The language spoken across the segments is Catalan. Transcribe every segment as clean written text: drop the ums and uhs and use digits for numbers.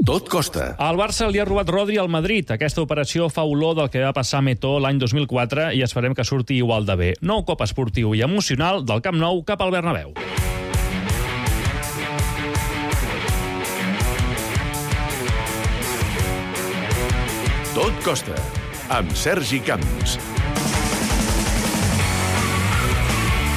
Tot costa. Al Barça li ha robat Rodri al Madrid. Aquesta operació fa olor del que va passar a Metó l'any 2004 i esperem que surti igual de bé. Nou cop esportiu i emocional del Camp Nou cap al Bernabéu. Tot costa, amb Sergi Camps.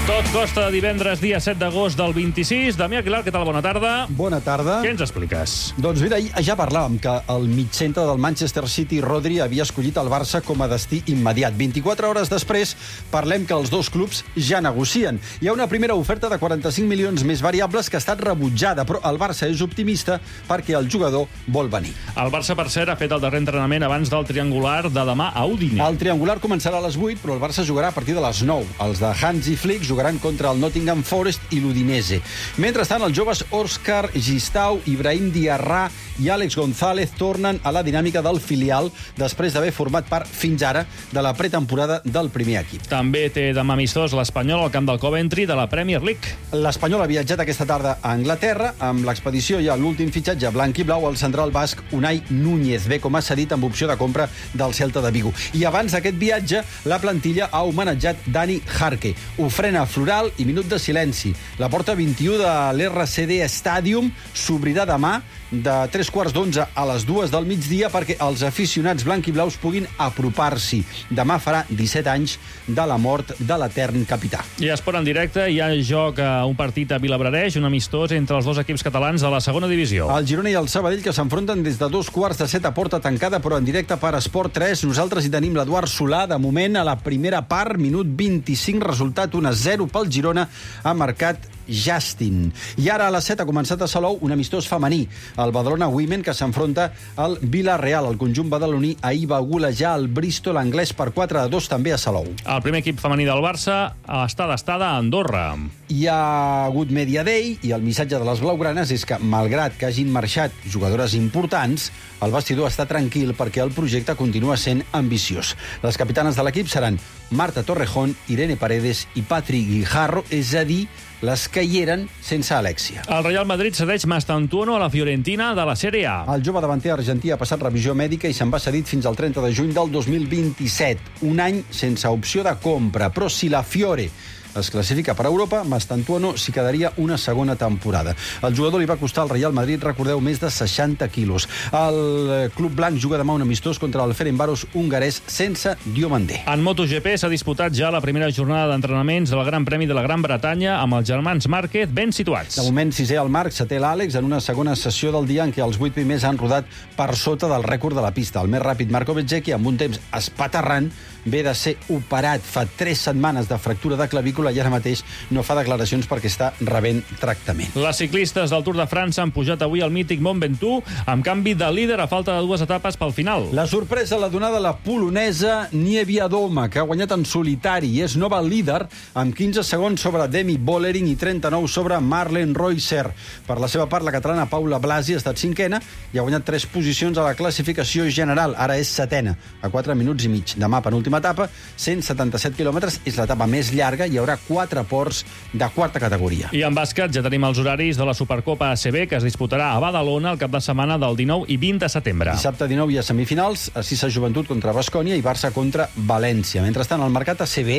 Tot costa divendres, dia 7 d'agost del 26. Damià Aguilar, què tal? Bona tarda. Bona tarda. Què ens expliques? Doncs mira, ja parlàvem que el mitjcentre del Manchester City, Rodri, havia escollit el Barça com a destí immediat. 24 hores després, parlem que els dos clubs ja negocien. Hi ha una primera oferta de 45 milions més variables que ha estat rebutjada, però el Barça és optimista perquè el jugador vol venir. El Barça, per cert, ha fet el darrer entrenament abans del triangular de demà a Udine. El triangular començarà a les 8, però el Barça jugarà a partir de les 9. Els de Hansi Flick jugaran contra el Nottingham Forest i l'Udinese. Mentrestant, els joves Òscar Gistau, Ibrahim Diarra i Àlex González tornen a la dinàmica del filial després d'haver format part fins ara de la pretemporada del primer equip. També té demà amistós l'Espanyol al camp del Coventry de la Premier League. L'Espanyol ha viatjat aquesta tarda a Anglaterra. Amb l'expedició hi ha l'últim fitxatge blanc i blau al central basc Unai Núñez, ve com a cedit amb opció de compra del Celta de Vigo. I abans d'aquest viatge, la plantilla ha homenatjat Dani Jarque. Ofrena floral i minut de silenci. La porta 21 de l'RCD Stadium s'obrirà demà de 3:15 a les 2 del migdia perquè els aficionats blanc i blaus puguin apropar-s'hi. Demà farà 17 anys de la mort de l'etern capità. I esport en directe, hi ha joc a un partit a Vilablareix, un amistós entre els dos equips catalans de la segona divisió. El Girona i el Sabadell, que s'enfronten des de 2:15 a porta tancada, però en directe per Esport 3. Nosaltres hi tenim l'Eduard Solà. De moment, a la primera part, minut 25, resultat 1-0 pel Girona, ha marcat Justin. I ara a les 7 ha començat a Salou un amistós femení, el Badalona Women, que s'enfronta al Villarreal. El conjunt badaloní ahir va golejar el Bristol anglès per 4-2 també a Salou. El primer equip femení del Barça està d'estada a Andorra. Hi ha hagut Media Day i el missatge de les blaugranes és que, malgrat que hagin marxat jugadores importants, el vestidor està tranquil perquè el projecte continua sent ambiciós. Les capitanes de l'equip seran Marta Torrejón, Irene Paredes i Patri Guijarro, és a dir, les que hi eren sense Alexia. El Real Madrid cedeix Mastantuono a la Fiorentina de la Sèrie A. El jove davanter argentí ha passat revisió mèdica i se'n va cedit fins al 30 de juny del 2027. Un any sense opció de compra, però si la Fiore es classifica per Europa, Mastantuono s'hi quedaria una segona temporada. El jugador li va costar al Real Madrid, recordeu, més de 60 quilos. El club blanc juga demà un amistós contra el Ferencváros hongarès sense Diomandé. En MotoGP s'ha disputat ja la primera jornada d'entrenaments del Gran Premi de la Gran Bretanya amb els germans Márquez ben situats. De moment, sisè el Marc, setè l'Àlex, en una segona sessió del dia en què els 8 primers han rodat per sota del rècord de la pista. El més ràpid, Marco Bezzecchi, amb un temps espaterrant, ve de ser operat fa 3 setmanes de fractura de clavícula i ara mateix no fa declaracions perquè està rebent tractament. Les ciclistes del Tour de França han pujat avui al mític Mont Ventoux amb canvi de líder a falta de 2 etapes pel final. La sorpresa l'ha donada la polonesa Niewiadoma, que ha guanyat en solitari i és nova líder amb 15 segons sobre Demi Vollering i 39 sobre Marlen Reusser. Per la seva part, la catalana Paula Blasi ha estat cinquena i ha guanyat 3 posicions a la classificació general. Ara és setena, a 4 minuts i mig. Demà, penúltima etapa, 177 quilòmetres, és l'etapa més llarga, hi haurà 4 ports de quarta categoria. I en bàsquet ja tenim els horaris de la Supercopa ACB, que es disputarà a Badalona el cap de setmana del 19 i 20 de setembre. Dissabte 19 hi ha semifinals, a Cisa Joventut contra Baskonia i Barça contra València. Mentrestant, al mercat ACB,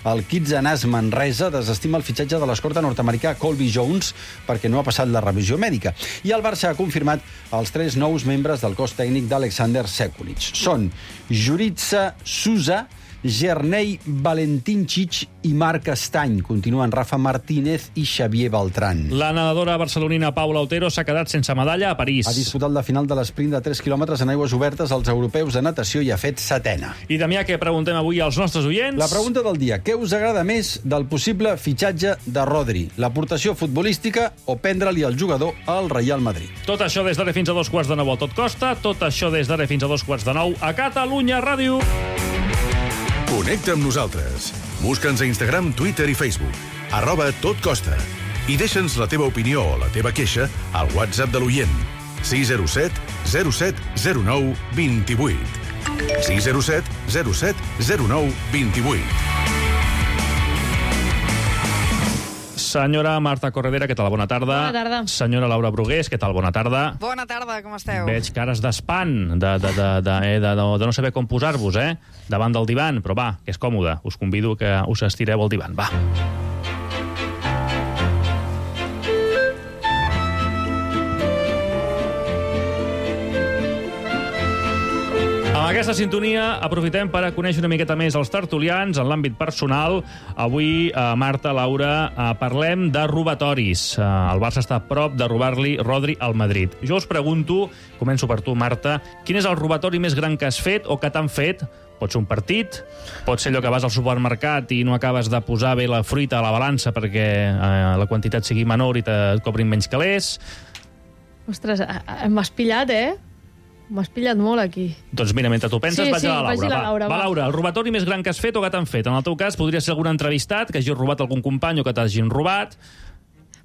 el Kitsanàs Manresa desestima el fitxatge de l'escorta nord-americà Colby Jones perquè no ha passat la revisió mèdica. I el Barça ha confirmat els 3 nous membres del cos tècnic d'Alexander Sekulic. Són Jurica Souza, Gernei Valentincic i Marc Estany. Continuen Rafa Martínez i Xavier Beltrán. La nedadora barcelonina Paula Otero s'ha quedat sense medalla a París. Ha disputat la final de l'esprint de 3 quilòmetres en aigües obertes als europeus de natació i ha fet setena. I Damià, què preguntem avui als nostres oients? La pregunta del dia: què us agrada més del possible fitxatge de Rodri? L'aportació futbolística o prendre-li el jugador al Real Madrid? Tot això des d'ara fins a 2:15 a Tot Costa, tot això des d'ara fins a 2:15 a Catalunya Ràdio. Connecta amb nosaltres. Busca'ns a Instagram, Twitter i Facebook. @totcosta. I deixa'ns la teva opinió o la teva queixa al WhatsApp de l'oient. 607 07 09 28. 607 07 09 28. Senyora Marta Corredera, què tal? Bona tarda. Bona tarda. Senyora Laura Brugués, què tal? Bona tarda. Bona tarda, com esteu? Veig cares d'espant, de no saber com posar-vos, davant del divan, però va, que és còmode. Us convido que us estireu al divan, va. Amb aquesta sintonia aprofitem per conèixer una miqueta més els tertulians en l'àmbit personal. Avui, Marta, Laura, parlem de robatoris. El Barça està a prop de robar-li Rodri al Madrid. Jo us pregunto, començo per tu, Marta, quin és el robatori més gran que has fet o que t'han fet? Pot ser un partit, pot ser allò que vas al supermercat i no acabes de posar bé la fruita a la balança perquè la quantitat sigui menor i et cobrin menys calés. Ostres, m'has pillat, M'has pillat molt aquí. Doncs mira, mentre tu penses, vaig a la Laura. Vaig a la Laura, va, Laura, el robatori més gran que has fet o que t'han fet? En el teu cas, podria ser algun entrevistat que hagi robat algun company o que t'hagin robat.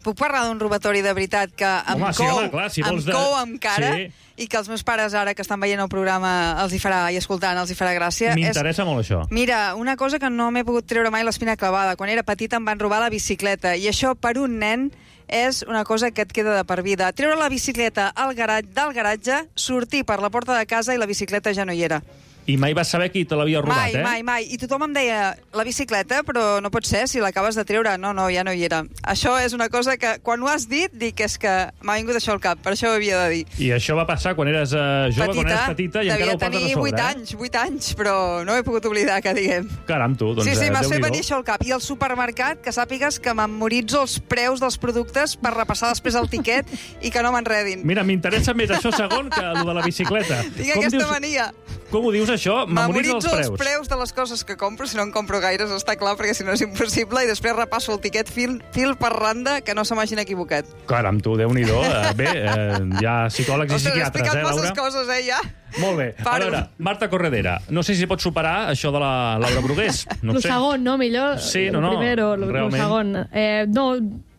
Puc parlar d'un robatori de veritat que em cou amb cara i que els meus pares ara que estan veient el programa els hi farà, i escoltant, els hi farà gràcia. M'interessa molt això. Mira, una cosa que no m'he pogut treure mai l'espina clavada. Quan era petita em van robar la bicicleta i això per un nen és una cosa que et queda de per vida. Treure la bicicleta del garatge, sortir per la porta de casa i la bicicleta ja no hi era. I mai vas saber qui te l'havia robat, Mai. I tothom em deia, la bicicleta, però no pot ser, si l'acabes de treure. No, ja no hi era. Això és una cosa que, quan ho has dit, dic és que m'ha vingut això al cap, per això ho havia de dir. I això va passar quan eres jove, quan eres petita, i encara ho portes a sobre. Devia tenir 8 anys, però no he pogut oblidar, que diguem. Caram, tu, doncs Sí, m'has fet venir això al cap. I al supermercat, que sàpigues que memoritzo els preus dels productes per repassar després el tiquet i que no m'enredin. Mira, m'interessa més això segon que el de la bicicleta. Tinc aquesta mania. Com ho dius, això? Memoritzo els preus de les coses que compro, si no en compro gaires, està clar, perquè si no és impossible, i després repasso el tiquet fil per randa, que no se m'hagin equivocat. Caram, tu, Déu-n'hi-do. Bé, hi ha psicòlegs i psiquiatres, Laura? He explicat masses coses, ja. Molt bé. A veure, Marta Corredera, no sé si pots superar això de la Laura Brugués. No sé. Lo segon, no? Millor. Sí, no, primero, lo segon.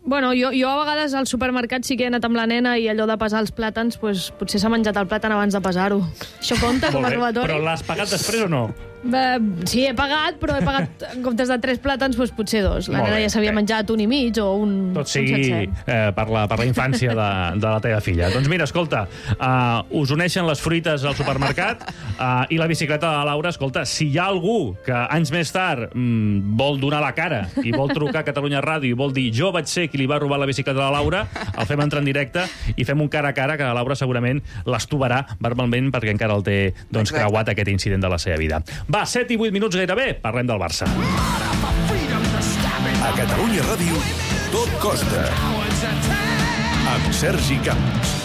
Bueno, jo a vegades al supermercat sí que he anat amb la nena i allò de pesar els plàtans, pues, potser s'ha menjat el plàtan abans de pesar-ho. Això compta com a robatori? Però l'has pagat després o no? Sí, he pagat, però he pagat en comptes de 3 plàtans, doncs potser 2. La nena ja s'havia menjat 1 i mig o un tot sigui per la infància de la teva filla. Doncs mira, escolta, us uneixen les fruites al supermercat i la bicicleta de la Laura. Escolta, si hi ha algú que anys més tard vol donar la cara i vol trucar a Catalunya Ràdio i vol dir jo vaig ser qui li va robar la bicicleta a la Laura, el fem entrar en directe i fem un cara a cara que la Laura segurament l'estovarà verbalment perquè encara el té creuat aquest incident de la seva vida. Va, 7 i 8 minuts gairebé, parlem del Barça. A Catalunya Ràdio, tot costa. Amb Sergi Camps.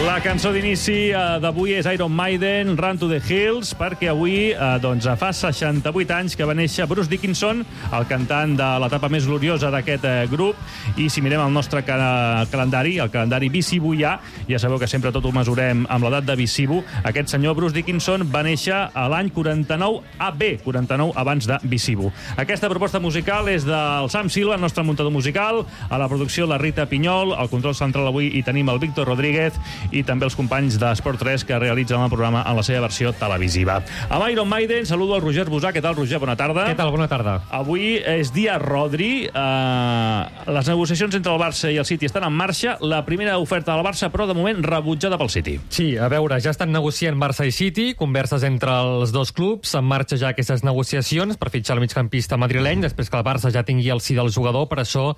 La cançó d'inici d'avui és Iron Maiden, Run to the Hills, perquè avui fa 68 anys que va néixer Bruce Dickinson, el cantant de l'etapa més gloriosa d'aquest grup, i si mirem el nostre calendari, el calendari Visibuià, ja sabeu que sempre tot ho mesurem amb l'edat de Visibu, aquest senyor Bruce Dickinson va néixer a l'any 49 AB, 49 abans de Visibu. Aquesta proposta musical és del Sam Silva, el nostre muntador musical, a la producció la Rita Pinyol, al control central avui hi tenim el Víctor Rodríguez, i també els companys d'Esport 3 que realitzen el programa en la seva versió televisiva. Amb Iron Maiden saludo el Roger Busà. Què tal, Roger? Bona tarda. Què tal? Bona tarda. Avui és dia Rodri. Les negociacions entre el Barça i el City estan en marxa. La primera oferta del Barça, però de moment rebutjada pel City. Sí, a veure, ja estan negociant Barça i City, converses entre els dos clubs, en marxa ja aquestes negociacions per fitxar el migcampista madrileny, després que el Barça ja tingui el sí del jugador, per això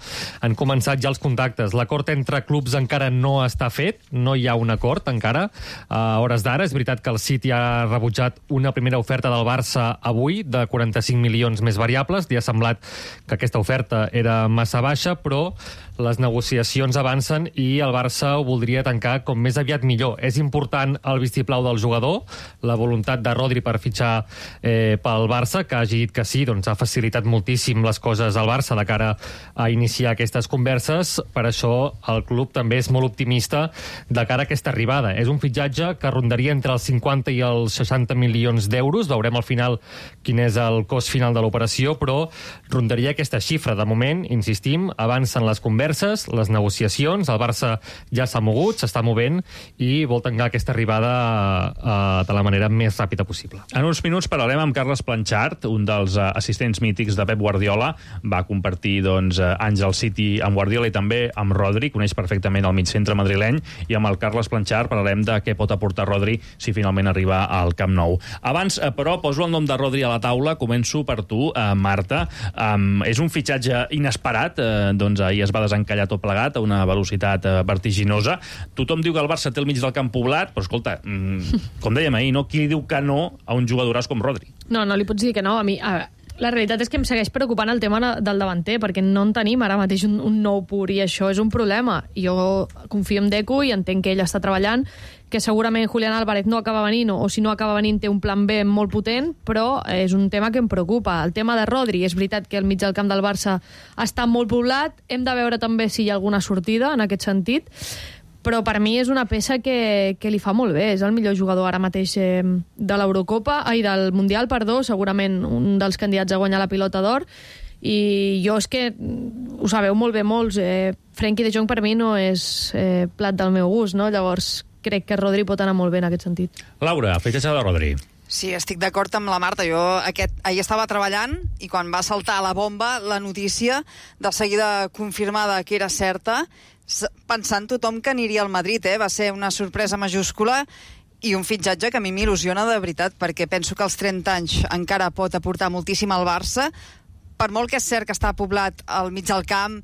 han començat ja els contactes. L'acord entre clubs encara no està fet, no hi ha un acord encara a hores d'ara. És veritat que el City ha rebutjat una primera oferta del Barça avui de 45 milions més variables. Li ha semblat que aquesta oferta era massa baixa, però les negociacions avancen i el Barça ho voldria tancar com més aviat millor. És important el vistiplau del jugador, la voluntat de Rodri per fitxar pel Barça, que hagi dit que sí, doncs ha facilitat moltíssim les coses al Barça de cara a iniciar aquestes converses. Per això el club també és molt optimista de cara a aquesta aquesta arribada. És un fitxatge que rondaria entre els 50 i els 60 milions d'euros. Veurem al final quin és el cost final de l'operació, però rondaria aquesta xifra. De moment, insistim, avancen les converses, les negociacions, el Barça ja s'ha mogut, s'està movent i vol tancar aquesta arribada de la manera més ràpida possible. En uns minuts parlarem amb Carles Planchart, un dels assistents mítics de Pep Guardiola. Va compartir anys al City amb Guardiola i també amb Rodri, coneix perfectament el migcentre madrileny, i amb el Carles Planchart parlarem de què pot aportar Rodri si finalment arriba al Camp Nou. Abans, però, poso el nom de Rodri a la taula. Començo per tu, Marta. És un fitxatge inesperat, ahir es va desencallar tot plegat a una velocitat vertiginosa. Tothom diu que el Barça té el mig del camp poblat, però escolta, com dèiem ahir, no? Qui li diu que no a un jugadoràs com Rodri? No li pots dir que no. A mi, la realitat és que em segueix preocupant el tema del davanter, perquè no en tenim ara mateix un nou pur, i això és un problema. Jo confio en Deco i entenc que ell està treballant, que segurament Julián Álvarez no acaba venint, o si no acaba venint té un plan B molt potent, però és un tema que em preocupa. El tema de Rodri, és veritat que el mig del camp del Barça està molt poblat, hem de veure també si hi ha alguna sortida en aquest sentit, però per mi és una peça que li fa molt bé. És el millor jugador ara mateix de l'Eurocopa, del Mundial, segurament un dels candidats a guanyar la Pilota d'Or, i jo és que ho sabeu molt bé molts, Frenkie de Jong per mi no és plat del meu gust, no? Llavors crec que Rodri pot anar molt bé en aquest sentit. Laura, fitxatge de Rodri. Sí, estic d'acord amb la Marta. Jo ahir estava treballant i quan va saltar la bomba, la notícia, de seguida confirmada que era certa, pensant tothom que aniria al Madrid, va ser una sorpresa majúscula i un fitxatge que a mi m'il·lusiona de veritat, perquè penso que als 30 anys encara pot aportar moltíssim al Barça, per molt que és cert que està poblat al mig del camp,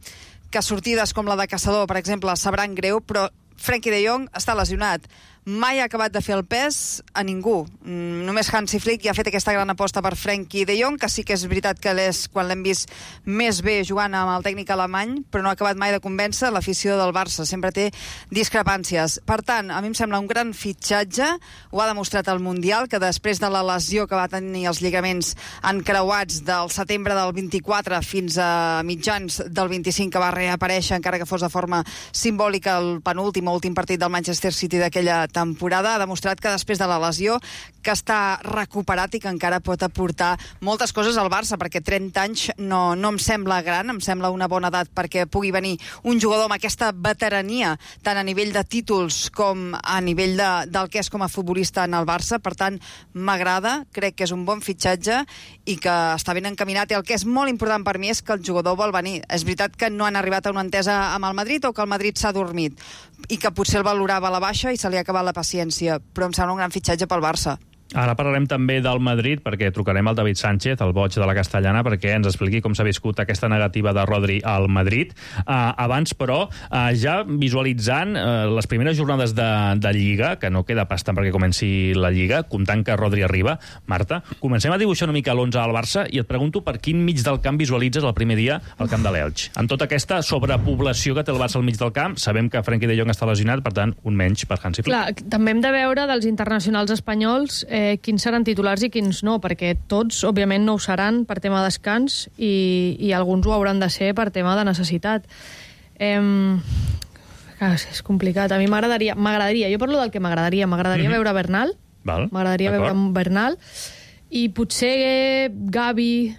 que sortides com la de Caçador, per exemple, sabran greu, però Frenkie de Jong està lesionat. Mai ha acabat de fer el pes a ningú. Només Hansi Flick ja ha fet aquesta gran aposta per Frenkie de Jong, que sí que és veritat que quan l'hem vist més bé jugant amb el tècnic alemany, però no ha acabat mai de convèncer l'afició del Barça. Sempre té discrepàncies. Per tant, a mi em sembla un gran fitxatge. Ho ha demostrat al Mundial, que després de la lesió que va tenir els lligaments encreuats del setembre del 24 fins a mitjans del 25, que va reaparèixer, encara que fos de forma simbòlica, el penúltim o últim partit del Manchester City d'aquella temporada, ha demostrat que després de la lesió que està recuperat i que encara pot aportar moltes coses al Barça, perquè 30 anys no em sembla gran, em sembla una bona edat perquè pugui venir un jugador amb aquesta veterania, tant a nivell de títols com a nivell del que és com a futbolista en el Barça. Per tant, m'agrada, crec que és un bon fitxatge i que està ben encaminat, i el que és molt important per mi és que el jugador vol venir. És veritat que no han arribat a una entesa amb el Madrid, o que el Madrid s'ha dormit i que potser el valorava a la baixa i se li ha acabat la paciència, però em sembla un gran fitxatge pel Barça. Ara parlarem també del Madrid, perquè trucarem al David Sánchez, el boig de la Castellana, perquè ens expliqui com s'ha viscut aquesta negativa de Rodri al Madrid. Abans, però, ja visualitzant les primeres jornades de Lliga, que no queda pas tant perquè comenci la Lliga, comptant que Rodri arriba. Marta, comencem a dibuixar una mica l'11 al Barça i et pregunto per quin mig del camp visualitzes el primer dia al camp de l'Elx. En tota aquesta sobrepoblació que té el Barça al mig del camp, sabem que Frenkie de Jong està lesionat, per tant, un menys per Hansi Flick. Clar, també hem de veure dels internacionals espanyols quins seran titulars i quins no, perquè tots, òbviament, no ho seran per tema de descans i alguns ho hauran de ser per tema de necessitat. És complicat. A mi m'agradaria, jo parlo del que m'agradaria veure Bernal, veure Bernal, i potser Gavi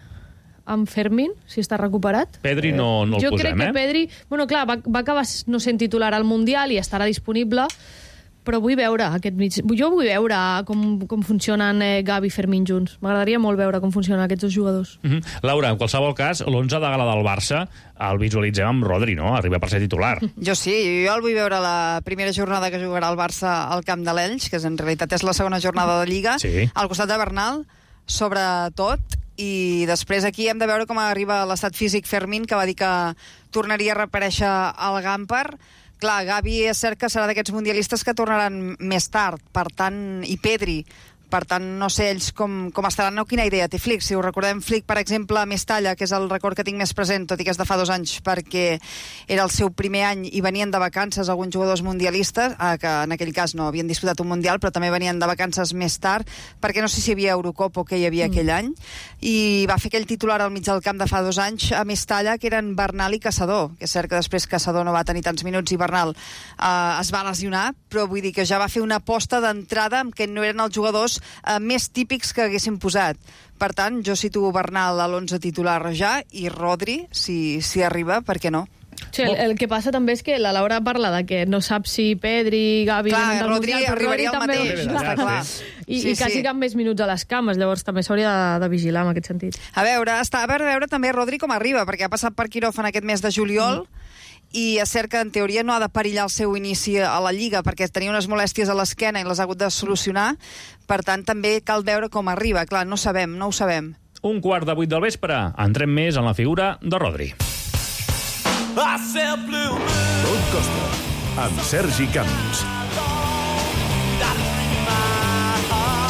amb Fermín, si està recuperat. Pedri no el posem, Jo crec que Pedri, bueno, clar, va acabar no sent titular al Mundial i estarà disponible, però vull veure aquest mig. Jo vull veure com funcionen Gavi i Fermín junts. M'agradaria molt veure com funcionen aquests dos jugadors. Laura, en qualsevol cas, l'11 de gala del Barça el visualitzem amb Rodri, no? Arriba per ser titular. Jo sí, jo el vull veure la primera jornada que jugarà el Barça al camp de l'Elx, que en realitat és la segona jornada de Lliga, al costat de Bernal, sobretot, i després aquí hem de veure com arriba l'estat físic Fermín, que va dir que tornaria a reaparèixer al Gampar. Clar, Gavi és cert que serà d'aquests mundialistes que tornaran més tard, per tant, i Pedri. Per tant, no sé ells com estaran, no quina idea té Flick. Si us recordem, Flick, per exemple, a Mestalla, que és el record que tinc més present, tot i que és de fa 2 anys, perquè era el seu primer any i venien de vacances alguns jugadors mundialistes, que en aquell cas no havien disputat un mundial, però també venien de vacances més tard, perquè no sé si hi havia Eurocopa o què hi havia aquell any, i va fer aquell titular al mig del camp de fa 2 anys a Mestalla, que eren Bernal i Caçador, que és cert que després Caçador no va tenir tants minuts i Bernal es va lesionar, però vull dir que ja va fer una aposta d'entrada amb que no eren els jugadors més típics que haguessin posat. Per tant, jo situo Bernal a l'11 titular ja, i Rodri, si arriba, per què no? Sí, el que passa també és que la Laura parla de que no sap si Pedri, Gavi... Clar, Rodri arribaria al mateix. I quasi cap més minuts a les cames, llavors també s'hauria de vigilar en aquest sentit. A veure també Rodri com arriba, perquè ha passat per quiròfan aquest mes de juliol, i és cert que en teoria no ha de perillar el seu inici a la Lliga, perquè tenia unes molèsties a l'esquena i les ha hagut de solucionar. Per tant, també cal veure com arriba. Clar, no ho sabem. 7:15 del vespre. Entrem més en la figura de Rodri. Tot Costa, amb Sergi Camps.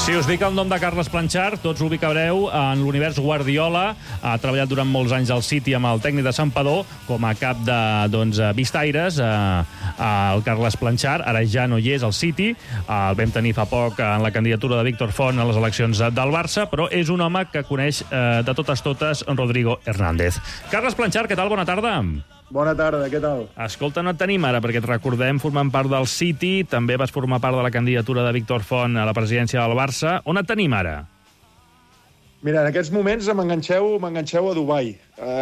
Si us dic el nom de Carles Planchar, tots l'ubicareu en l'univers Guardiola. Ha treballat durant molts anys al City amb el tècnic de Santpedor com a cap de Vistaires. El Carles Planchar ara ja no hi és al City. El vam tenir fa poc en la candidatura de Víctor Font a les eleccions del Barça, però és un home que coneix de totes Rodrigo Hernández. Carles Planchar, què tal? Bona tarda. Bona tarda, què tal? Escolta, no et tenim ara, perquè et recordem formant part del City, també vas formar part de la candidatura de Víctor Font a la presidència del Barça. On et tenim ara? Mira, en aquests moments m'enganxeu a Dubai.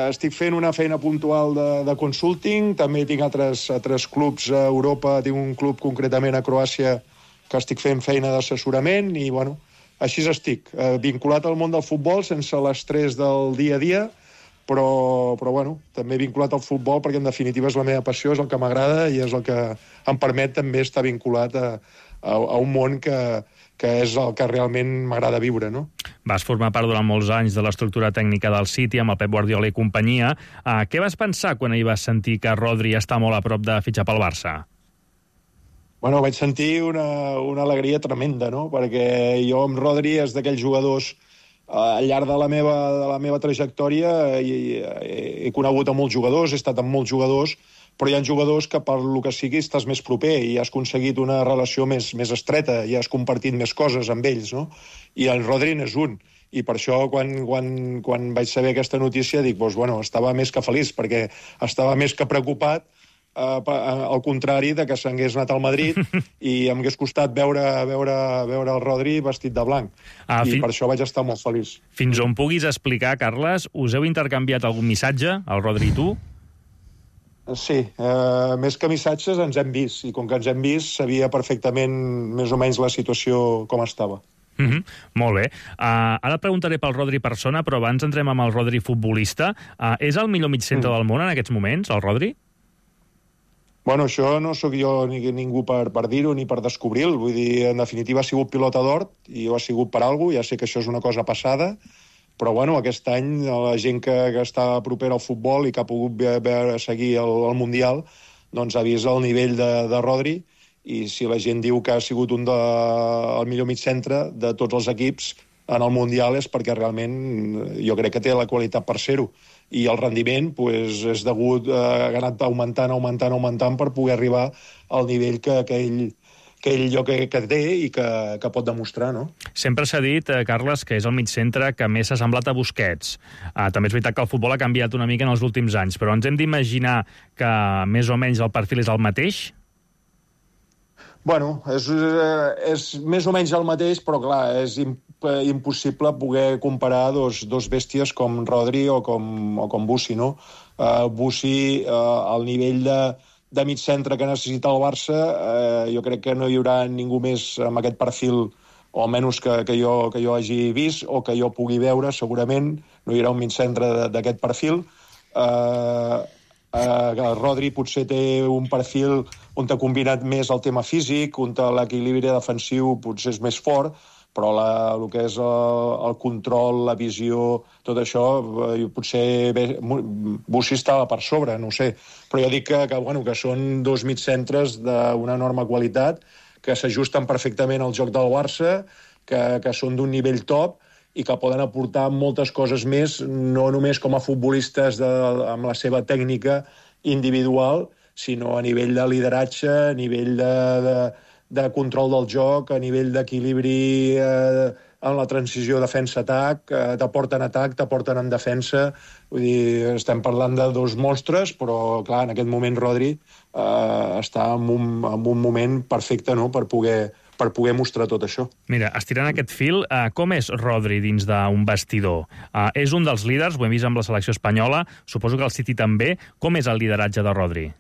Estic fent una feina puntual de consulting, també tinc altres clubs a Europa, tinc un club concretament a Croàcia que estic fent feina d'assessorament i, bueno, així estic, vinculat al món del futbol sense l'estrès del dia a dia, però bueno, també vinculat al futbol perquè en definitiva és la meva passió, és el que m'agrada i és el que em permet també estar vinculat a un món que és el que realment m'agrada viure, no? Vas formar part durant molts anys de l'estructura tècnica del City amb el Pep Guardiola i companyia. Què vas pensar quan ahir vas sentir que Rodri està molt a prop de fitxar pel Barça? Bueno, vaig sentir una alegria tremenda, no? Perquè jo amb Rodri és d'aquells jugadors al llarg de la meva trajectòria he conegut a molts jugadors, he estat amb molts jugadors, però hi ha jugadors que per lo que sigui estàs més proper i has aconseguit una relació més estreta i has compartit més coses amb ells, no? I el Rodri n'és un. I per això, quan vaig saber aquesta notícia, dic, doncs, bueno, estava més que feliç, perquè estava més que preocupat, al contrari de que s'hagués anat al Madrid i em hagués costat veure el Rodri vestit de blanc. I per això vaig estar molt feliç. Fins on puguis explicar, Carles, us heu intercanviat algun missatge, el Rodri i tu? Sí, més que missatges ens hem vist, i com que ens hem vist sabia perfectament més o menys la situació com estava. Molt bé. Ara et preguntaré pel Rodri persona, però abans entrem amb el Rodri futbolista. És el millor migcentre del món en aquests moments, el Rodri? Bueno, això no sóc jo ningú per dir-ho ni per descobrir-ho. Vull dir, en definitiva ha sigut pilota d'or i ho ha sigut per alguna cosa. Ja sé que això és una cosa passada, però bueno, aquest any la gent que està propera al futbol i que ha pogut seguir el Mundial doncs ha vist el nivell de Rodri, i si la gent diu que ha sigut el millor migcentre de tots els equips en el Mundial és perquè realment jo crec que té la qualitat per ser-ho. I el rendiment és degut a anat augmentant per poder arribar al nivell que ell que té i que pot demostrar, no? Sempre s'ha dit, Carles, que és el migcentre que més s'ha semblat a Busquets. També és veritat que el futbol ha canviat una mica en els últims anys, però ens hem d'imaginar que més o menys el perfil és el mateix? Bueno, és més o menys el mateix, però clar, és impossible poder comparar dos bèsties com Rodri o com Bussi, no? Bussi, al nivell de mig centre que necessita el Barça, jo crec que no hi haurà ningú més amb aquest perfil, o almenys que jo hagi vist o que jo pugui veure, segurament no hi haurà un mig centre d'aquest perfil. El Rodri potser té un perfil on ha combinat més el tema físic, on l'equilibri defensiu potser és més fort, però el que és el control, la visió, tot això, potser Bussi estava per sobre, no ho sé. Però jo dic que són dos mitcentres d'una enorme qualitat, que s'ajusten perfectament al joc del Barça que són d'un nivell top i que poden aportar moltes coses més, no només com a futbolistes amb la seva tècnica individual, sinó a nivell de lideratge, a nivell de control del joc, a nivell d'equilibri en la transició defensa-atac, t'aporten atac, t'aporten en defensa. Vull dir, estem parlant de dos monstres, però, clar, en aquest moment Rodri està en un moment perfecte, no?, per poder mostrar tot això. Mira, estirant aquest fil, com és Rodri dins d'un vestidor? És un dels líders, ho hem vist amb la selecció espanyola, suposo que el City també. Com és el lideratge de Rodri?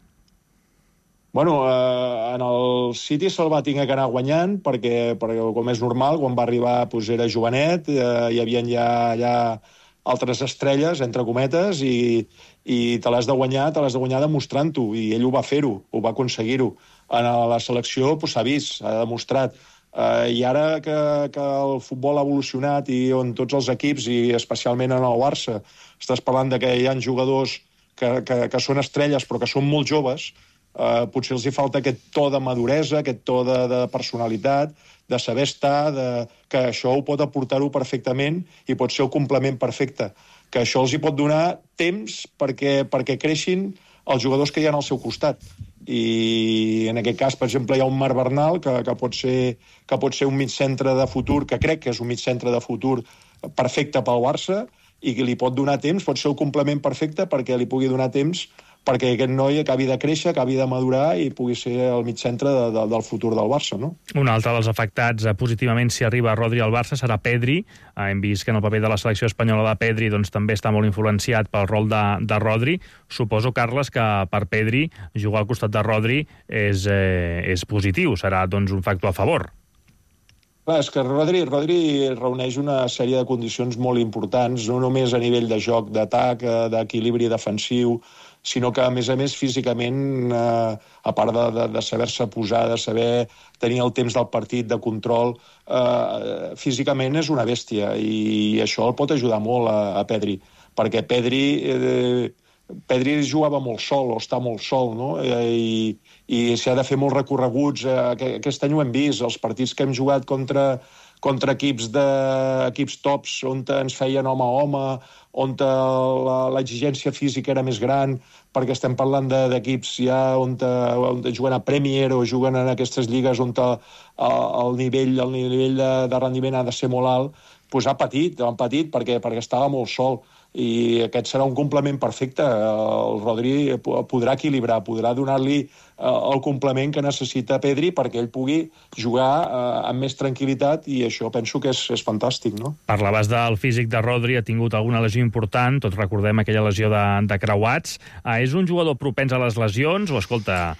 Bueno, en el City se'l va tenir que anar guanyant perquè com és normal, quan va arribar era jovenet, hi havia ja altres estrelles, entre cometes, i te l'has de guanyar demostrant-ho, i ell ho va fer-ho, ho va aconseguir-ho. En la selecció s'ha vist, s'ha demostrat. I ara que el futbol ha evolucionat i on tots els equips, i especialment en el Barça, estàs parlant que hi ha jugadors que són estrelles però que són molt joves, potser els hi falta aquest to de maduresa, aquest to de personalitat, de saber estar, que això ho pot aportar-ho perfectament i pot ser el complement perfecte. Que això els hi pot donar temps perquè creixin els jugadors que hi ha al seu costat. I en aquest cas, per exemple, hi ha un Marc Bernal que pot ser un migcentre de futur, que crec que és un migcentre de futur perfecte pel Barça, i que li pot donar temps, pot ser el complement perfecte perquè li pugui donar temps perquè aquest noi acabi de créixer, acabi de madurar i pugui ser el mitjantre del futur del Barça, no? Un altre dels afectats positivament si arriba Rodri al Barça serà Pedri. Hem vist que en el paper de la selecció espanyola de Pedri també està molt influenciat pel rol de Rodri. Suposo, Carles, que per Pedri jugar al costat de Rodri és positiu, serà un factor a favor. Clar, és que Rodri reuneix una sèrie de condicions molt importants, no només a nivell de joc, d'atac, d'equilibri defensiu, sinó que, a més, físicament, a part de saber-se posar, de saber tenir el temps del partit, de control, físicament és una bèstia, i això el pot ajudar molt a Pedri, perquè Pedri jugava molt sol, o està molt sol, no? I s'ha de fer molts recorreguts. Aquest any ho hem vist, els partits que hem jugat contra equips tops, on ens feien home a home, on l'exigència física era més gran, perquè estem parlant d'equips ja on juguen a Premier o juguen en aquestes lligues on el nivell de rendiment ha de ser molt alt, doncs han patit perquè estava molt sol. I aquest serà un complement perfecte. El Rodri podrà equilibrar, podrà donar-li el complement que necessita Pedri perquè ell pugui jugar amb més tranquil·litat, i això penso que és fantàstic, no? Parlaves del físic de Rodri, ha tingut alguna lesió important, tots recordem aquella lesió de creuats. És un jugador propens a les lesions o, escolta,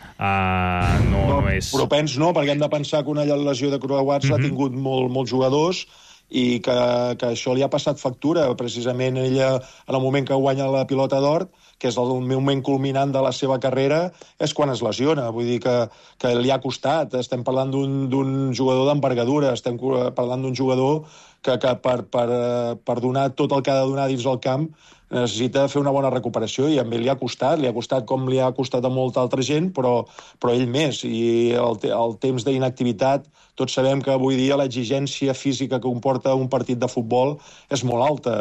no és... Propens no, perquè hem de pensar que una lesió de creuats l'ha tingut molts jugadors, i que això li ha passat factura. Precisament ella, en el moment que guanya la pilota d'or, que és el moment culminant de la seva carrera, és quan es lesiona. Vull dir que li ha costat. Estem parlant d'un jugador d'envergadura, estem parlant d'un jugador que per donar tot el que ha de donar dins el camp necessita fer una bona recuperació, i a ell li ha costat com li ha costat a molta altra gent, però ell més. I el temps d'inactivitat, tots sabem que avui dia l'exigència física que comporta un partit de futbol és molt alta.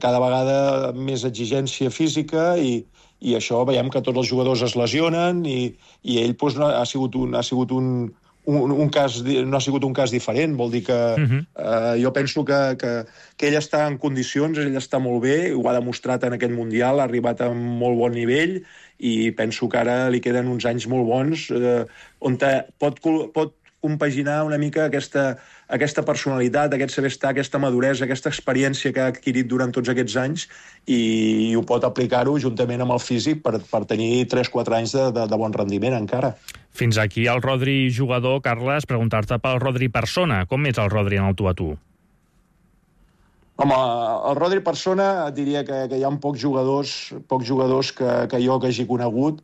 Cada vegada més exigència física, i això veiem que tots els jugadors es lesionen, i ell no ha sigut un cas diferent. Vol dir que jo penso que ell està en condicions, ell està molt bé, ho ha demostrat en aquest Mundial, ha arribat a un molt bon nivell, i penso que ara li queden uns anys molt bons on pot compaginar una mica aquesta personalitat, aquest saber estar, aquesta maduresa, aquesta experiència que ha adquirit durant tots aquests anys, i ho pot aplicar-ho juntament amb el físic per tenir 3-4 anys de bon rendiment encara. Fins aquí el Rodri jugador, Carles, preguntar-te pel Rodri persona. Com és el Rodri en el tu a tu? Home, el Rodri persona diria que hi ha pocs jugadors que jo que hagi conegut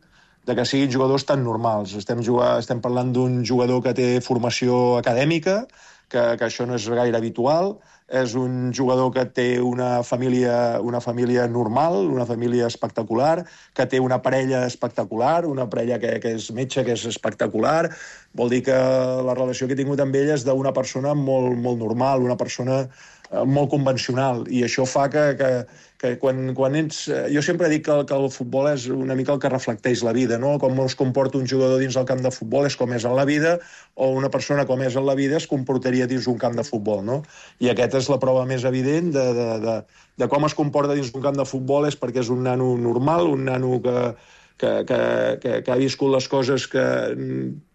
que siguin jugadors tan normals. Estem parlant d'un jugador que té formació acadèmica, que això no és gaire habitual, és un jugador que té una família normal, una família espectacular, que té una parella espectacular, una parella que és metge, que és espectacular. Vol dir que la relació que he tingut amb ell és d'una persona molt, molt normal, una persona molt convencional, i això fa que quan ets... Jo sempre dic que el futbol és una mica el que reflecteix la vida, no? Com es comporta un jugador dins del camp de futbol és com és en la vida, o una persona com és en la vida es comportaria dins un camp de futbol, no? I aquesta és la prova més evident de com es comporta dins un camp de futbol, és perquè és un nano normal, un nano que ha viscut les coses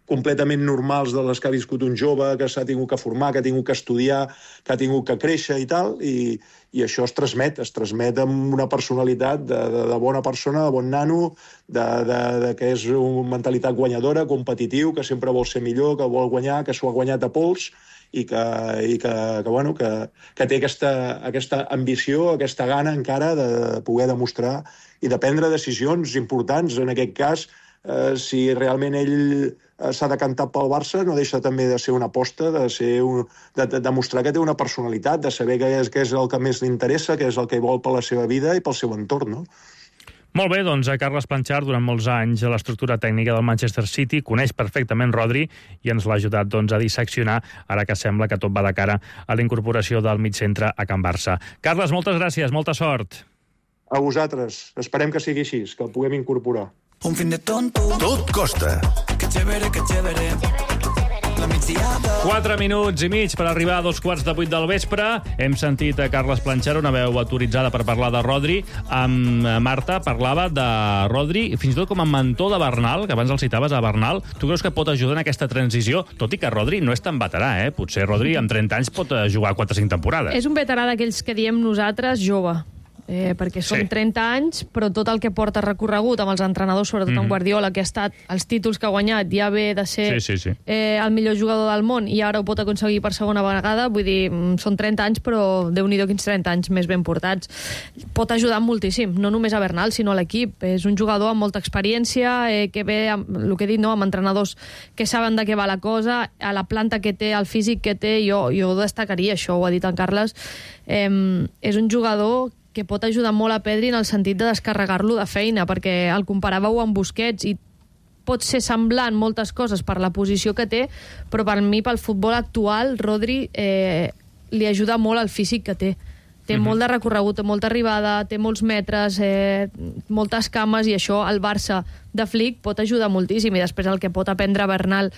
completament normals de les que ha viscut un jove, que s'ha tingut que formar, que ha tingut que estudiar, que ha tingut que créixer i tal, i això es transmet amb una personalitat de bona persona, de bon nano, que és una mentalitat guanyadora, competitiu, que sempre vol ser millor, que vol guanyar, que s'ho ha guanyat a pols, i que té aquesta ambició, aquesta gana encara de poder demostrar i de prendre decisions importants. En aquest cas, si realment ell s'ha decantat pel Barça, no deixa també de ser una aposta, de demostrar que té una personalitat, de saber què és el que més li interessa, què és el que vol per la seva vida i pel seu entorn, no? Molt bé, doncs Carles Planchart, durant molts anys a l'estructura tècnica del Manchester City, coneix perfectament Rodri i ens l'ha ajudat a disseccionar, ara que sembla que tot va de cara a la incorporació del migcentre a Can Barça. Carles, moltes gràcies, molta sort. A vosaltres. Esperem que sigui així, que el puguem incorporar. Un fin de tonto. Tot costa. Que chévere, que chévere. 4 minuts i mig per arribar a 7:45 del vespre. Hem sentit a Carles Planchart, una veu autoritzada per parlar de Rodri. Amb Marta parlava de Rodri, fins i tot com a mentor de Bernal, que abans el citaves a Bernal. Tu creus que pot ajudar en aquesta transició? Tot i que Rodri no és tan veterà, eh? Potser Rodri amb 30 anys pot jugar 4 o 5 temporades. És un veterà d'aquells que diem nosaltres jove. Perquè són 30 anys, però tot el que porta recorregut amb els entrenadors, sobretot amb Guardiola, que ha estat els títols que ha guanyat, ja ve de ser el millor jugador del món i ara ho pot aconseguir per segona vegada. Vull dir, són 30 anys, però Déu-n'hi-do quins 30 anys més ben portats. Pot ajudar moltíssim, no només a Bernal, sinó a l'equip. És un jugador amb molta experiència, que ve, el que he dit, amb entrenadors que saben de què va la cosa, a la planta que té, al físic que té, jo destacaria això, ho ha dit en Carles. És un jugador que pot ajudar molt a Pedri en el sentit de descarregar-lo de feina, perquè el comparàveu amb Busquets i pot ser semblant moltes coses per la posició que té, però per mi, pel futbol actual, Rodri li ajuda molt al físic que té. Té molt de recorregut, té molta arribada, té molts metres, moltes cames, i això al Barça de Flick pot ajudar moltíssim. I després el que pot aprendre Bernal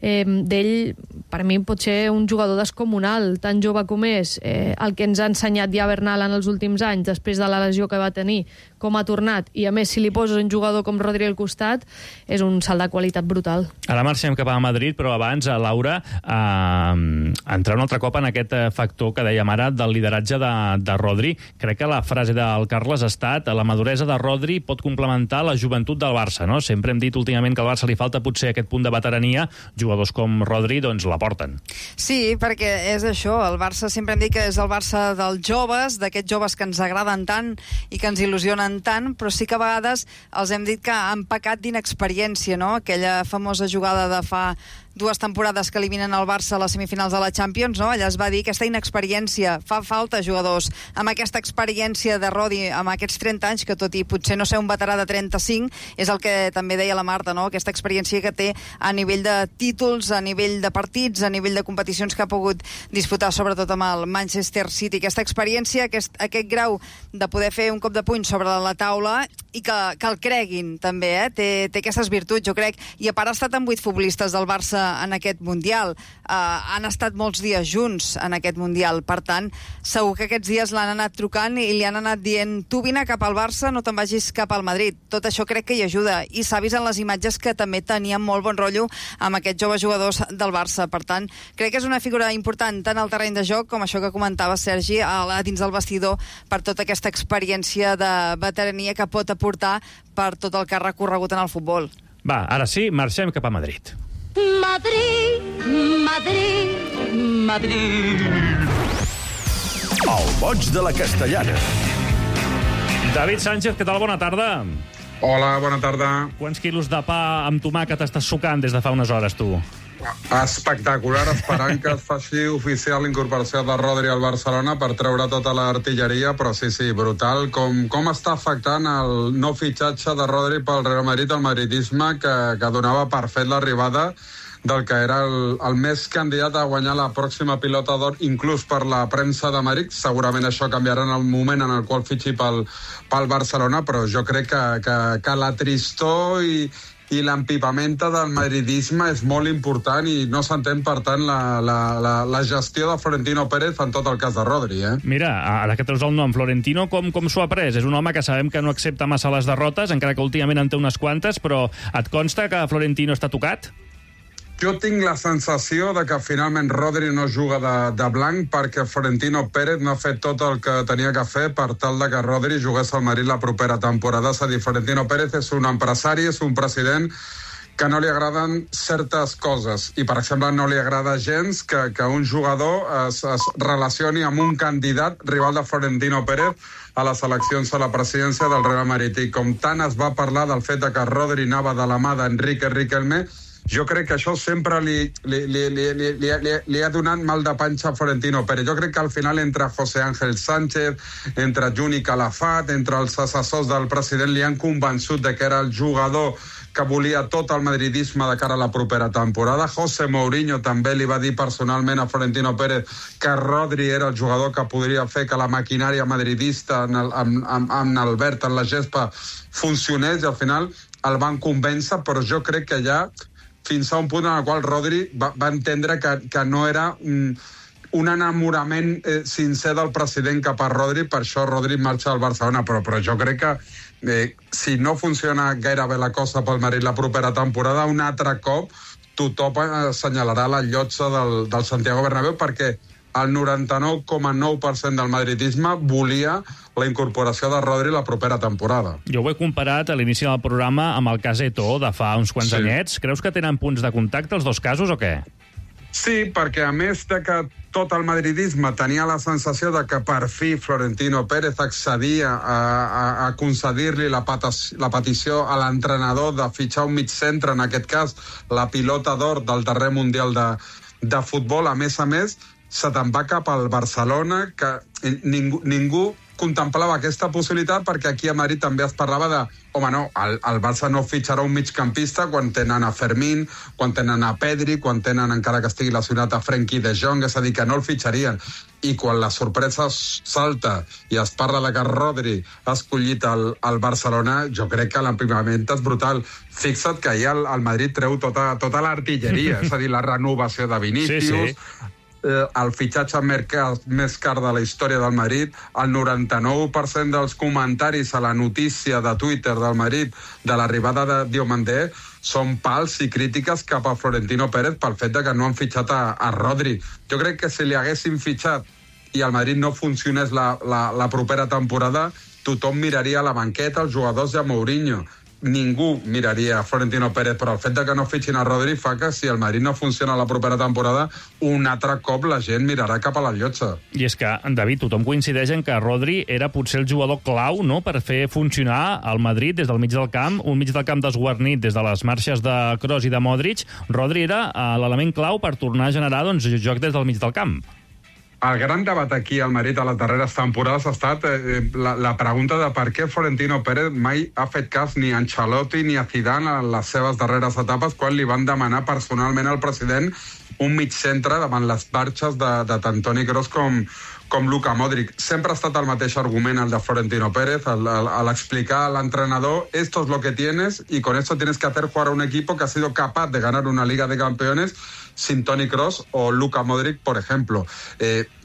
d'ell, per mi pot ser un jugador descomunal, tan jove com és. El que ens ha ensenyat ja Bernal en els últims anys, després de la lesió que va tenir, com ha tornat, i a més si li poses un jugador com Rodri al costat, és un salt de qualitat brutal. Ara marxem cap a Madrid, però abans, Laura, entrar un altre cop en aquest factor que dèiem ara del lideratge de Rodri. Crec que la frase del Carles ha estat: la maduresa de Rodri pot complementar la joventut del Barça, no? Sempre hem dit últimament que al Barça li falta potser aquest punt de veterania. Jugadors com Rodri, doncs, l'aporten. Sí, perquè és això. El Barça sempre hem dit que és el Barça dels joves, d'aquests joves que ens agraden tant i que ens il·lusionen tant, però sí que a vegades els hem dit que han pecat d'inexperiència, no? Aquella famosa jugada de fa 2 temporades que eliminen el Barça a les semifinals de la Champions, no? Allà es va dir aquesta inexperiència. Fa falta jugadors amb aquesta experiència de Rodri, amb aquests 30 anys, que tot i potser no ser un veterà de 35, és el que també deia la Marta, no? Aquesta experiència que té a nivell de títols, a nivell de partits, a nivell de competicions que ha pogut disputar, sobretot amb el Manchester City. Aquesta experiència, aquest grau de poder fer un cop de puny sobre la taula i que el creguin, també, té aquestes virtuts, jo crec. I a part ha estat amb 8 futbolistes del Barça en aquest Mundial. Han estat molts dies junts en aquest Mundial. Per tant, segur que aquests dies l'han anat trucant i li han anat dient: tu vine cap al Barça, no te'n vagis cap al Madrid. Tot això crec que hi ajuda. I s'ha vist en les imatges que també tenien molt bon rotllo amb aquests joves jugadors del Barça. Per tant, crec que és una figura important tant al terreny de joc com això que comentava Sergi, dins del vestidor, per tota aquesta experiència de veterania que pot aportar per tot el que ha recorregut en el futbol. Va, ara sí, marxem cap a Madrid. Madrid, Madrid, Madrid. El boig de la Castellana. David Sánchez, què tal? Bona tarda. Hola, bona tarda. Quants quilos de pa amb tomàquet estàs sucant des de fa unes hores, tu? Espectacular, esperant que es faci oficial l'incorporació de Rodri al Barcelona per treure tota l'artilleria, però sí, brutal com està afectant el no fitxatge de Rodri pel Real Madrid, el madridisme que donava per fet l'arribada del que era el més candidat a guanyar la pròxima pilota d'or, inclús per la premsa de Madrid. Segurament això canviarà en el moment en el qual fitxi pel Barcelona, però jo crec que la tristor i l'empipamenta del madridisme és molt important i no s'entén, per tant, la gestió de Florentino Pérez en tot el cas de Rodri. Mira, ara que treus el nom, Florentino, com s'ho ha pres? És un home que sabem que no accepta massa les derrotes, encara que últimament en té unes quantes, però et consta que Florentino està tocat? Jo tinc la sensació de que finalment Rodri no juga de blanc perquè Florentino Pérez no ha fet tot el que tenia que fer per tal de que Rodri jugués al Madrid la propera temporada. És a dir, Florentino Pérez és un empresari, és un president que no li agraden certes coses. I, per exemple, no li agrada gens que un jugador es relacioni amb un candidat rival de Florentino Pérez a les eleccions a la presidència del Real Madrid. I com tant es va parlar del fet que Rodri anava de la mà d'Enrique Riquelme, jo crec que això sempre li ha donat mal de panxa a Florentino Pérez. Jo crec que al final entre José Ángel Sánchez, entre Juni Calafat, entre els assessors del president li han convençut de que era el jugador que volia tot el madridisme de cara a la propera temporada. José Mourinho també li va dir personalment a Florentino Pérez que Rodri era el jugador que podria fer que la maquinària madridista amb Albert en la gespa funcionés, i al final el van convèncer, però jo crec que ja fins a un punt en el qual Rodri va entendre que no era un enamorament sincer del president cap a Rodri, per això Rodri marxa al Barcelona, però jo crec que si no funciona gaire bé la cosa pel Madrid la propera temporada, un altre cop tothom assenyalarà la llotja del Santiago Bernabéu, perquè el 99,9% del madridisme volia la incorporació de Rodri la propera temporada. Jo ho he comparat a l'inici del programa amb el cas Eto'o de fa uns quants anyets. Creus que tenen punts de contacte els dos casos o què? Sí, perquè a més de que tot el madridisme tenia la sensació de que per fi Florentino Pérez accedia a concedir-li la petició a l'entrenador de fitxar un mig centre, en aquest cas la pilota d'or del darrer Mundial de futbol, a més, se te'n va cap al Barcelona, que ningú contemplava aquesta possibilitat, perquè aquí a Madrid també es parlava de home, no, el Barça no fitxarà un migcampista quan tenen a Fermín, quan tenen a Pedri, quan tenen, encara que estigui lesionat, a Frenkie de Jong, és a dir, que no el fitxarien. I quan la sorpresa salta i es parla de que Rodri ha escollit el Barcelona, jo crec que l'emprimament és brutal. Fixa't que ahir el Madrid treu tota l'artilleria, és a dir, la renovació de Vinícius, el fitxatge més car de la història del Madrid, el 99% dels comentaris a la notícia de Twitter del Madrid de l'arribada de Diomandé són pals i crítiques cap a Florentino Pérez pel fet de que no han fitxat a Rodri. Jo crec que si li haguessin fitxat i el Madrid no funcionés la propera temporada, tothom miraria a la banqueta, els jugadors i a Mourinho. Ningú miraria a Florentino Pérez, però el fet de que no fitxin a Rodri fa que si el Madrid no funciona la propera temporada, un altre cop la gent mirarà cap a la llotja. I és que, David, tothom coincideix en que Rodri era potser el jugador clau, no?, per fer funcionar el Madrid des del mig del camp, un mig del camp desguarnit des de les marxes de Kroos i de Modric. Rodri era l'element clau per tornar a generar joc des del mig del camp. El gran debat aquí al Madrid a les darreres temporades ha estat la pregunta de per què Florentino Pérez mai ha fet cas ni a Ancelotti ni a Zidane en les seves darreres etapes, quan li van demanar personalment al president un mig centre davant les marxes de tant Toni Kroos com Luka Modric. Sempre ha estat el mateix argument el de Florentino Pérez, al explicar a l'entrenador esto es lo que tienes y con esto tienes que hacer jugar a un equipo que ha sido capaz de ganar una Liga de Campeones sin Toni Kroos o Luka Modric, por ejemplo.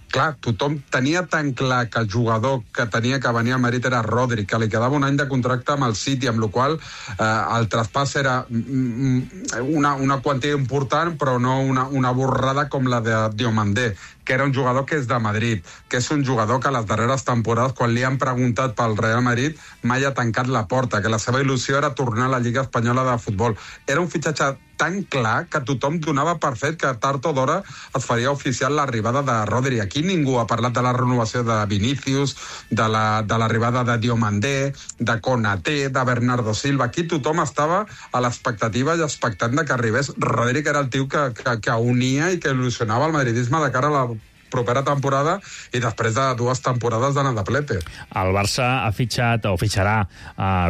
Clar, tothom tenia tan clar que el jugador que tenia que venir al Madrid era Rodri, que li quedava un any de contracte amb el City, amb la qual el traspàs era una quantia important, però no una borrada com la de Diomandé. que era un jugador que és de Madrid, que és un jugador que a les darreres temporades, quan li han preguntat pel Real Madrid, mai ha tancat la porta, que la seva il·lusió era tornar a la Lliga Espanyola de Futbol. Era un fitxatge tan clar que tothom donava per fet que tard o d'hora es faria oficial l'arribada de Rodri. Aquí ningú ha parlat de la renovació de Vinícius, de l'arribada de Diomandé, de Konaté, de Bernardo Silva. Aquí tothom estava a l'expectativa i expectant de que arribés Rodri, que era el tio que unia i que il·lusionava el madridisme de cara a la propera temporada i després de 2 temporades d'anar de plete. El Barça ha fitxat o fitxarà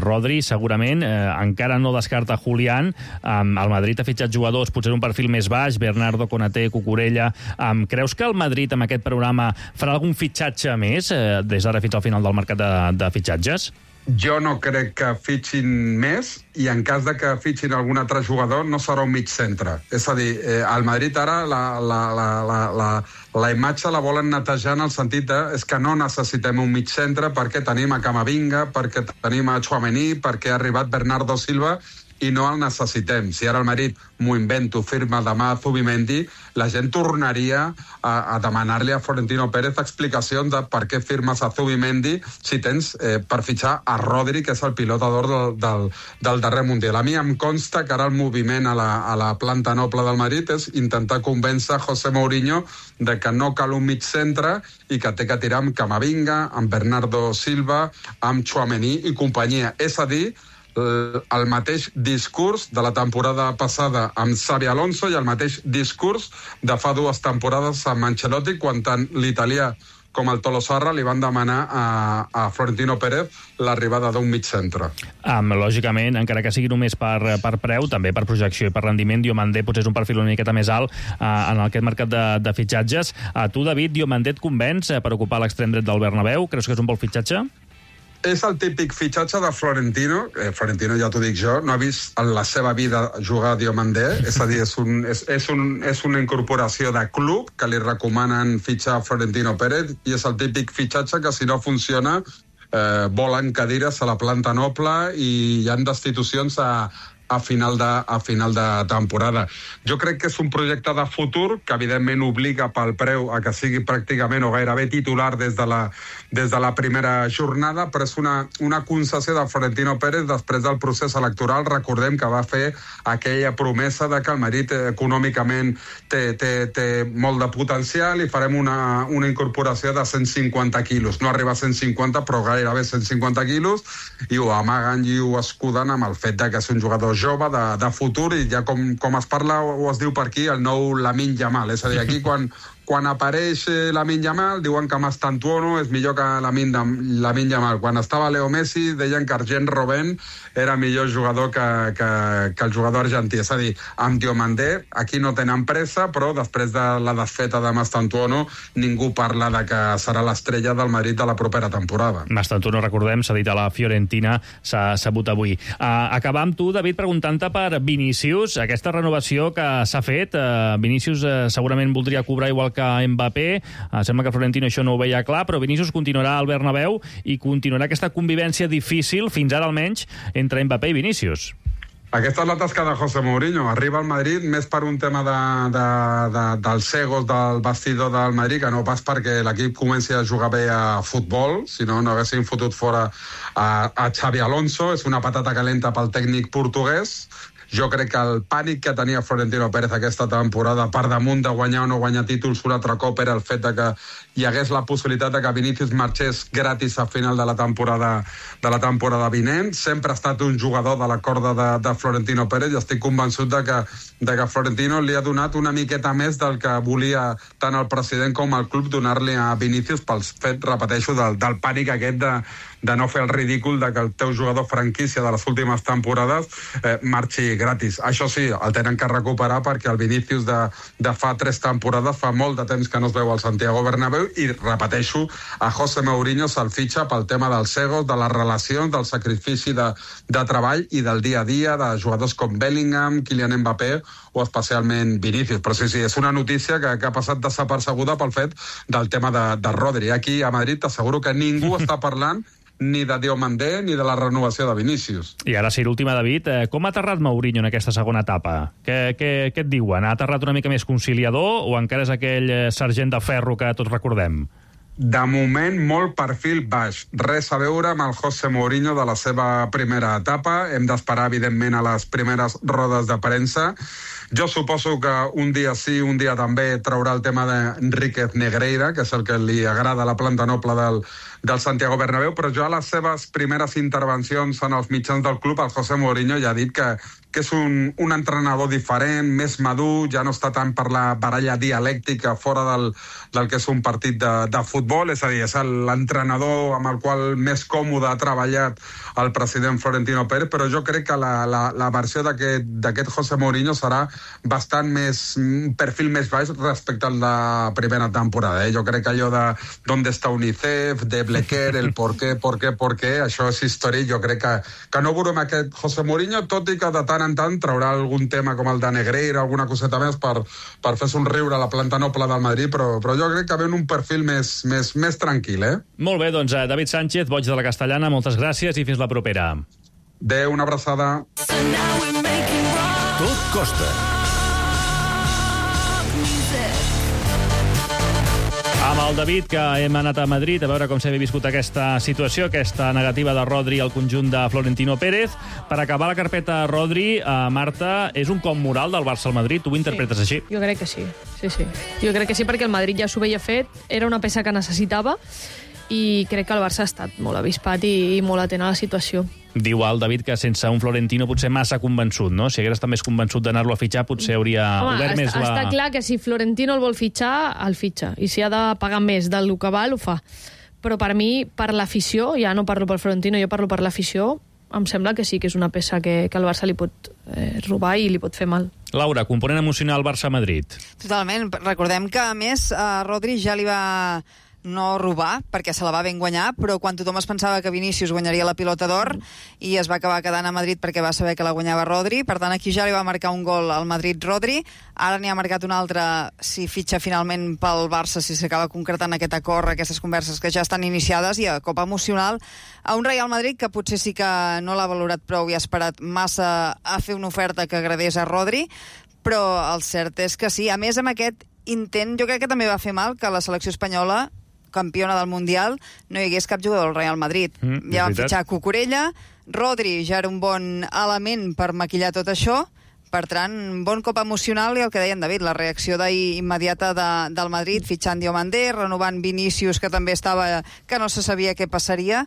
Rodri, segurament. Encara no descarta Julián. El Madrid ha fitxat jugadors, potser un perfil més baix, Bernardo, Konaté, Cucurella. Creus que el Madrid, amb aquest programa, farà algun fitxatge més des d'ara fins al final del mercat de fitxatges? Jo no crec que fitxin més i en cas de que fitxin algun altre jugador no serà un mig centre. És a dir, al Madrid ara la imatge la volen netejar en el sentit és que no necessitem un mig centre perquè tenim a Camavinga, perquè tenim a Tchouaméni, perquè ha arribat Bernardo Silva i no el necessitem. Si ara el Madrid, m'ho invento, firma demà a Zubimendi, la gent tornaria a demanar-li a Florentino Pérez explicacions de per què firmes a Zubimendi si tens per fitxar a Rodri, que és el pilotador del darrer Mundial. A mi em consta que ara el moviment a la planta noble del Madrid és intentar convèncer José Mourinho de que no cal un mig centre i que té que tirar amb Camavinga, amb Bernardo Silva, amb Tchouaméni i companyia. És a dir, el mateix discurs de la temporada passada amb Xabi Alonso i el mateix discurs de fa 2 temporades amb Ancelotti, quan tant l'italià com el Tolosarra li van demanar a Florentino Pérez l'arribada d'un mig centre. Lògicament, encara que sigui només per preu, també per projecció i per rendiment, Diomandé potser és un perfil una miqueta més alt en aquest mercat de fitxatges. Tu, David, Diomandé et convenç per ocupar l'extrem dret del Bernabéu? Creus que és un bon fitxatge? És el típic fitxatge de Florentino. Florentino, ja t'ho dic jo, no ha vist en la seva vida jugar a Diomandé. És a dir, és una incorporació de club que li recomanen fitxar a Florentino Pérez i és el típic fitxatge que, si no funciona, volen cadires a la planta noble i hi ha destitucions a final de temporada. Jo crec que és un projecte de futur que evidentment obliga pel preu a que sigui pràcticament o gairebé titular des de la primera jornada, però és una concessió de Florentino Pérez després del procés electoral. Recordem que va fer aquella promesa de que el Madrid econòmicament té molt de potencial i farem una incorporació de 150 quilos. No arriba a 150, però gairebé 150 quilos, i ho amaguen i ho escuden amb el fet de que és un jugador jove de futur i ja com es parla o es diu per aquí, el nou Lamine Yamal. És a dir, aquí quan apareix Lamine Yamal diuen que Mastantuono és millor que Lamine Yamal. Quan estava Leo Messi deien que Arjen Robben era millor jugador que el jugador argentí. És a dir, amb Diomandé aquí no tenen pressa, però després de la desfeta de Mastantuono ningú parla de que serà l'estrella del Madrid de la propera temporada. Mastantuono, recordem, s'ha dit a la Fiorentina, s'ha sabut avui. Acabar amb tu, David, preguntant-te per Vinícius, aquesta renovació que s'ha fet. Vinícius segurament voldria cobrar igual que Mbappé. Sembla que Florentino això no ho veia clar, però Vinícius continuarà al Bernabéu i continuarà aquesta convivència difícil, fins ara almenys, entre Mbappé i Vinícius. Aquesta és la tasca de José Mourinho. Arriba al Madrid més per un tema dels egos del vestidor del Madrid, que no pas perquè l'equip comenci a jugar bé a futbol, si no haguessin fotut fora a Xabi Alonso. És una patata calenta pel tècnic portuguès. Jo crec que el pànic que tenia Florentino Pérez aquesta temporada, per damunt de guanyar o no guanyar títols un altre cop, era el fet de que hi hagués la possibilitat de que Vinícius marxés gratis a final de la temporada vinent. Sempre ha estat un jugador de la corda de Florentino Pérez i estic convençut de que Florentino li ha donat una miqueta més del que volia tant el president com el club donar-li a Vinícius pel fet, repeteixo, del pànic aquest de no fer el ridícul de que el teu jugador franquícia de les últimes temporades marxi gratis. Això sí, el tenen que recuperar perquè el Vinícius de fa 3 temporades fa molt de temps que no es veu al Santiago Bernabéu i, repeteixo, a José Mourinho se'l fitxa pel tema dels egos, de les relacions, del sacrifici de treball i del dia a dia de jugadors com Bellingham, Kylian Mbappé o especialment Vinícius. Però sí, és una notícia que ha passat desapercebuda pel fet del tema de Rodri. Aquí a Madrid t'asseguro que ningú està parlant ni de Diomandé ni de la renovació de Vinícius. I ara sí, l'última, David. Com ha aterrat Mourinho en aquesta segona etapa? Què et diuen? Ha aterrat una mica més conciliador o encara és aquell sergent de ferro que tots recordem? De moment, molt perfil baix. Res a veure amb el José Mourinho de la seva primera etapa. Hem d'esperar, evidentment, a les primeres rodes de premsa. Jo suposo que un dia sí, un dia també traurà el tema d'Enríquez Negreira, que és el que li agrada a la planta noble del Santiago Bernabéu, però jo a les seves primeres intervencions en els mitjans del club, el José Mourinho ja ha dit que és un entrenador diferent, més madur, ja no està tant per la baralla dialèctica fora del que és un partit de futbol, és a dir, és l'entrenador amb el qual més còmode ha treballat el president Florentino Pérez, però jo crec que la versió d'aquest José Mourinho serà bastant un perfil més baix respecte al de primera temporada. Jo crec que allò de d'on està UNICEF, de Blequer, el por qué, això és història. Jo crec que no veurem aquest José Mourinho, tot i que de tant en tant traurà algun tema com el de Negreira, alguna coseta més per fer somriure a la planta noble del Madrid, però jo crec que ve un perfil més tranquil, Molt bé, doncs David Sánchez, boig de la Castellana, moltes gràcies i fins la propera. Adéu, una abraçada. Tot costa. Amb el David, que hem anat a Madrid a veure com s'havia viscut aquesta situació, aquesta negativa de Rodri al conjunt de Florentino Pérez. Per acabar la carpeta Rodri, Marta, és un cop moral del Barça al Madrid? Tu ho interpretes així? Jo crec que sí. Jo crec que sí, perquè el Madrid ja s'ho veia fet, era una peça que necessitava, i crec que el Barça ha estat molt avispat i molt atent a la situació. Diu el David que sense un Florentino potser massa convençut, no? Si hagués estat més convençut d'anar-lo a fitxar, potser hauria obert més la... Està clar que si Florentino el vol fitxar, el fitxa. I si ha de pagar més del que val, ho fa. Però per mi, per l'afició, ja no parlo per Florentino, jo parlo per l'afició, em sembla que sí que és una peça que el Barça li pot robar i li pot fer mal. Laura, component emocional Barça-Madrid. Totalment. Recordem que, a més, Rodri ja li va no robar, perquè se la va ben guanyar, però quan tothom es pensava que Vinícius guanyaria la pilota d'or i es va acabar quedant a Madrid perquè va saber que la guanyava Rodri, per tant aquí ja li va marcar un gol al Madrid Rodri, ara n'hi ha marcat un altre si fitxa finalment pel Barça, si s'acaba concretant aquest acord, aquestes converses que ja estan iniciades, i a cop emocional a un Real Madrid que potser sí que no l'ha valorat prou i ha esperat massa a fer una oferta que agradés a Rodri, però el cert és que sí. A més, amb aquest intent, jo crec que també va fer mal que la selecció espanyola, campiona del Mundial, no hi hagués cap jugador del Real Madrid. Ja van fitxar Cucurella, Rodri ja era un bon element per maquillar tot això, per tant, bon cop emocional, i el que deia en David, la reacció d'ahir immediata del Madrid, fitxant Diomandé, renovant Vinícius, que també estava, que no se sabia què passaria.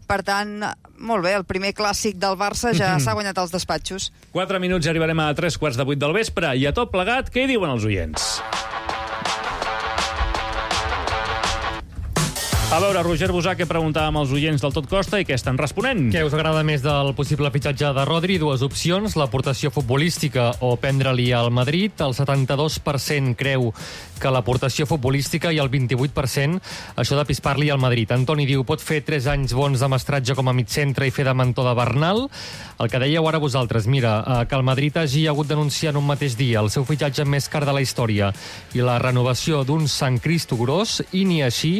Per tant, molt bé, el primer clàssic del Barça ja s'ha guanyat als despatxos. 4 minuts i arribarem a 3:45 del vespre, i a tot plegat, què hi diuen els oients? A veure, Roger Busà, que preguntàvem als oients del Tot Costa i què estan responent? Què us agrada més del possible fitxatge de Rodri? Dues opcions, l'aportació futbolística o prendre-li al Madrid. El 72% creu que l'aportació futbolística i el 28% això de pispar-li al Madrid. Antoni diu, pot fer 3 anys bons de mestratge com a mitcentre i fer de mentor de Bernal. El que dèieu ara vosaltres, mira, que el Madrid hagi hagut d'anunciar en un mateix dia el seu fitxatge més car de la història i la renovació d'un Sant Cristo gros, i ni així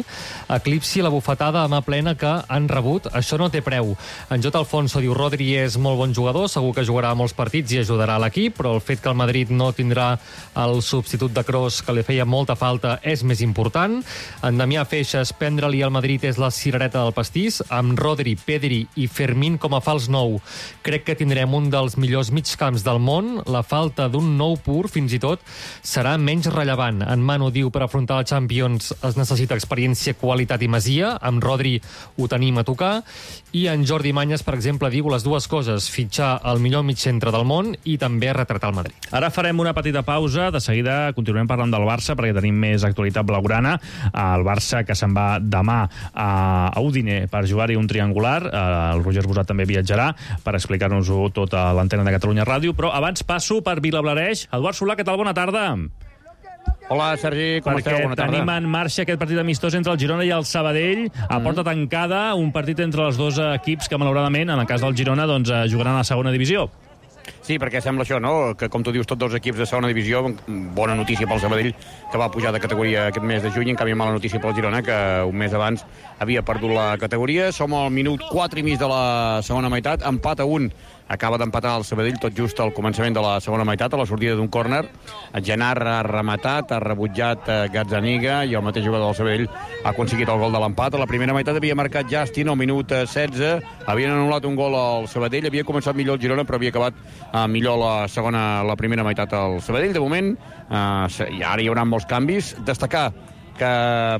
eclipsi la bufetada a mà plena que han rebut. Això no té preu. En J. Alfonso diu, Rodri és molt bon jugador, segur que jugarà molts partits i ajudarà a l'equip, però el fet que el Madrid no tindrà el substitut de Kroos que li feia molta falta és més important. En Damià Feixes, prendre-li al Madrid és la cirereta del pastís. Amb Rodri, Pedri i Fermín com a fals nou, crec que tindrem un dels millors migcamps del món. La falta d'un nou pur, fins i tot, serà menys rellevant. En Manu diu, per afrontar la Champions es necessita experiència, qualitat i masia. Amb Rodri ho tenim a tocar. I en Jordi Manyes, per exemple, diu les dues coses, fitxar el millor migcentre del món i també retratar el Madrid. Ara farem una petita pausa, de seguida continuem parlant del Barça perquè tenim més actualitat blaugrana. El Barça que se'n va demà a Udine per jugar-hi un triangular. El Roger Busà també viatjarà per explicar-nos-ho tot a l'antena de Catalunya Ràdio, però abans passo per Vilablareix. Eduard Solà, què tal? Bona tarda. Hola, Sergi, com esteu? Bona tarda. Perquè tenim en marxa aquest partit amistós entre el Girona i el Sabadell, a porta tancada, un partit entre els dos equips que, malauradament, en el cas del Girona, doncs, jugaran a la segona divisió. Sí, perquè sembla això, no?, que com tu dius, tots dos equips de segona divisió, bona notícia pel Sabadell, que va pujar de categoria aquest mes de juny, en canvi mala notícia pel Girona, que un mes abans havia perdut la categoria. Som al minut 4 i mig de la segona meitat, empat a 1. Acaba d'empatar el Sabadell tot just al començament de la segona meitat, a la sortida d'un córner. Genar ha rematat, ha rebutjat Gazzaniga, i el mateix jugador del Sabadell ha aconseguit el gol de l'empat. A la primera meitat havia marcat Justin al minut 16, havien anul·lat un gol al Sabadell, havia començat millor el Girona, però havia acabat millor la primera meitat al Sabadell. De moment, i ara hi haurà molts canvis. Destacar que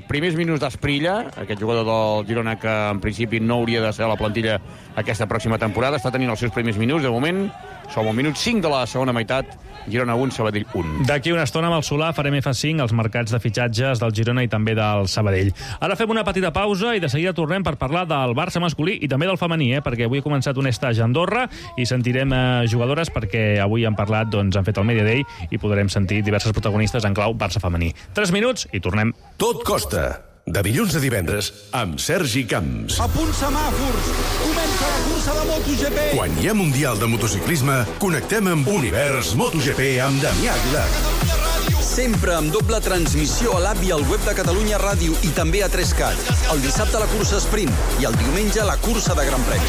primers minuts d'Asprilla, aquest jugador del Girona que en principi no hauria de ser a la plantilla aquesta pròxima temporada, està tenint els seus primers minuts. De moment, som al minut 5 de la segona meitat, Girona 1, Sabadell 1. D'aquí una estona amb el Solà farem F5 als mercats de fitxatges del Girona i també del Sabadell. Ara fem una petita pausa i de seguida tornem per parlar del Barça masculí i també del femení, perquè avui he començat un estatge a Andorra i sentirem jugadores perquè avui han parlat, doncs han fet el Media Day i podrem sentir diverses protagonistes en clau Barça femení. 3 minuts i tornem. Tot costa. De dilluns a divendres, amb Sergi Camps. A punt semàfors! Comença la cursa de MotoGP! Quan hi ha Mundial de Motociclisme, connectem amb Univers MotoGP amb Damià Aguilar. Sempre amb doble transmissió a l'app i al web de Catalunya Ràdio i també a 3CAT. El dissabte la cursa sprint i el diumenge la cursa de Gran Premi.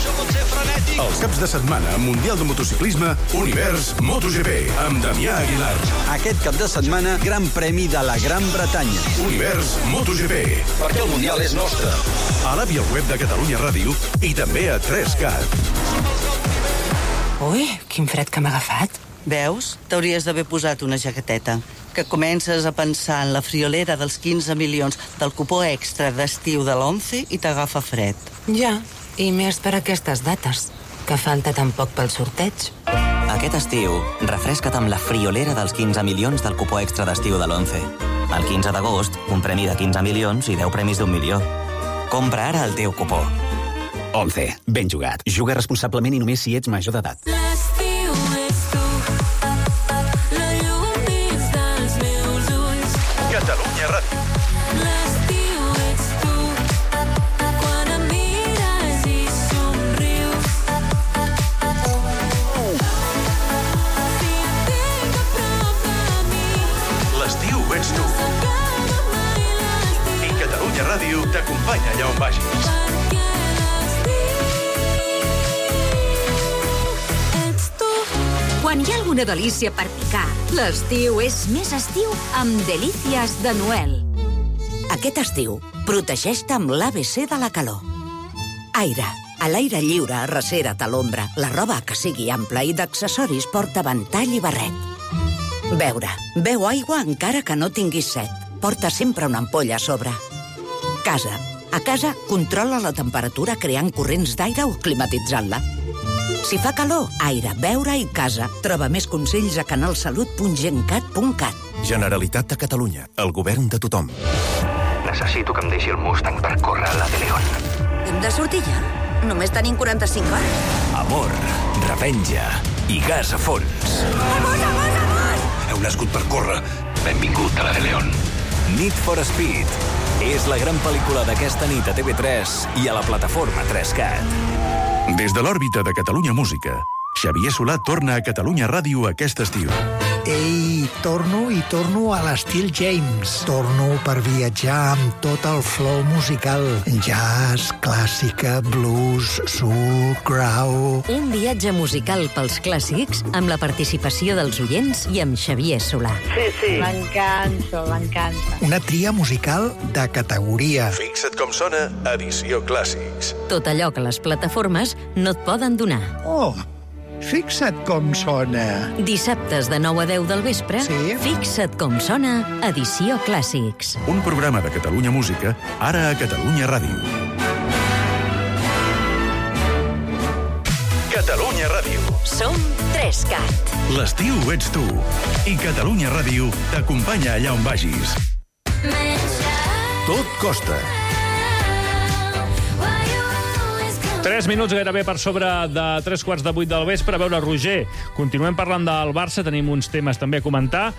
Els caps de setmana, Mundial de Motociclisme, Univers MotoGP amb Damià Aguilar. Aquest cap de setmana, Gran Premi de la Gran Bretanya. Univers MotoGP. Perquè el Mundial és nostre. A l'app i al web de Catalunya Ràdio i també a 3CAT. Ui, quin fred que m'ha agafat. Veus? T'hauries d'haver posat una jaqueteta. Que comences a pensar en la friolera dels 15 milions del cupó extra d'estiu de l'11 i t'agafa fred. Ja, i més per aquestes dates, que falta tan poc pel sorteig. Aquest estiu, refresca't amb la friolera dels 15 milions del cupó extra d'estiu de l'11. El 15 d'agost, un premi de 15 milions i 10 premis d'1 milió. Compra ara el teu cupó. 11. Ben jugat. Juga responsablement i només si ets major d'edat. Catalunya Ràdio. L'estiu ets tu, quan em mires i somrius. Si et tinc a prop de mi. L'estiu ets tu. I Catalunya Ràdio t'acompanya allà on vagis. Quan hi ha alguna delícia per picar, l'estiu és més estiu amb Delícies de Noel. Aquest estiu, protegeix-te amb l'ABC de la calor. Aire. A l'aire lliure, arrecera't a l'ombra. La roba que sigui ampla i d'accessoris porta ventall i barret. Beure. Beu aigua encara que no tinguis set. Porta sempre una ampolla a sobre. Casa. A casa, controla la temperatura creant corrents d'aire o climatitzant-la. Si fa calor, aire, beure i casa. Troba més consells a canalsalut.gencat.cat. Generalitat de Catalunya. El govern de tothom. Necessito que em deixi el Mustang per córrer a la de León. Hem de sortir ja? Només tenim 45 hores. Amor, revenja i gas a fons. Amor, amor, amor! Heu nascut per córrer. Benvingut a la de León. Need for Speed. És la gran pel·lícula d'aquesta nit a TV3 i a la plataforma 3CAT. Des de l'òrbita de Catalunya Música, Xavier Solà torna a Catalunya Ràdio aquest estiu. Ei, torno a l'estil James. Torno per viatjar amb tot el flow musical. Jazz, clàssica, blues, soul, grau... Un viatge musical pels clàssics amb la participació dels oients i amb Xavier Solà. Sí. M'encanta. Una tria musical de categoria. Fixa't com sona Edició Clàssics. Tot allò que les plataformes no et poden donar. Oh, fixa't com sona. Dissabtes de 9 a 10 del vespre, sí? Fixa't com sona Edició Clàssics. Un programa de Catalunya Música, ara a Catalunya Ràdio. Catalunya Ràdio. Som 3CAT. L'estiu ets tu. I Catalunya Ràdio t'acompanya allà on vagis. Tot costa. 3 minuts gairebé per sobre de 7:45 del vespre. A veure, Roger, continuem parlant del Barça, tenim uns temes també a comentar.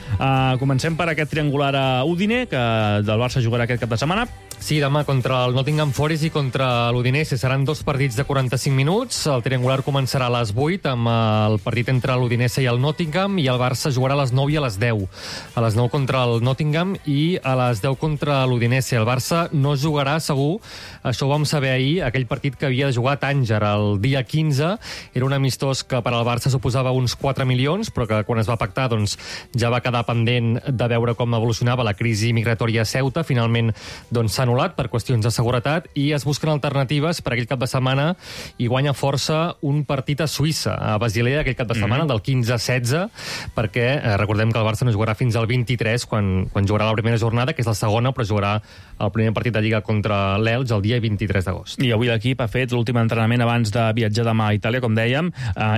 Comencem per aquest triangular a Udine, que del Barça jugarà aquest cap de setmana. Sí, demà contra el Nottingham Forest i contra l'Udinese. Seran 2 partits de 45 minuts. El triangular començarà a les 8 amb el partit entre l'Udinese i el Nottingham, i el Barça jugarà a les 9 i a les 10. A les 9 contra el Nottingham i a les 10 contra l'Udinese. El Barça no jugarà segur, això ho vam saber ahir, aquell partit que havia de jugar a Tànger el dia 15. Era un amistós que per al Barça suposava uns 4 milions, però que quan es va pactar doncs, ja va quedar pendent de veure com evolucionava la crisi migratòria a Ceuta. Finalment doncs, s'ha anul·lat per qüestions de seguretat i es busquen alternatives per aquell cap de setmana, i guanya força un partit a Suïssa, a Basilea, aquell cap de setmana, del 15-16, perquè recordem que el Barça no jugarà fins al 23, quan jugarà la primera jornada, que és la segona, però jugarà el primer partit de Lliga contra l'Elx el dia 23 d'agost. I avui l'equip ha fet l'últim entrenament abans de viatjar demà a Itàlia, com dèiem,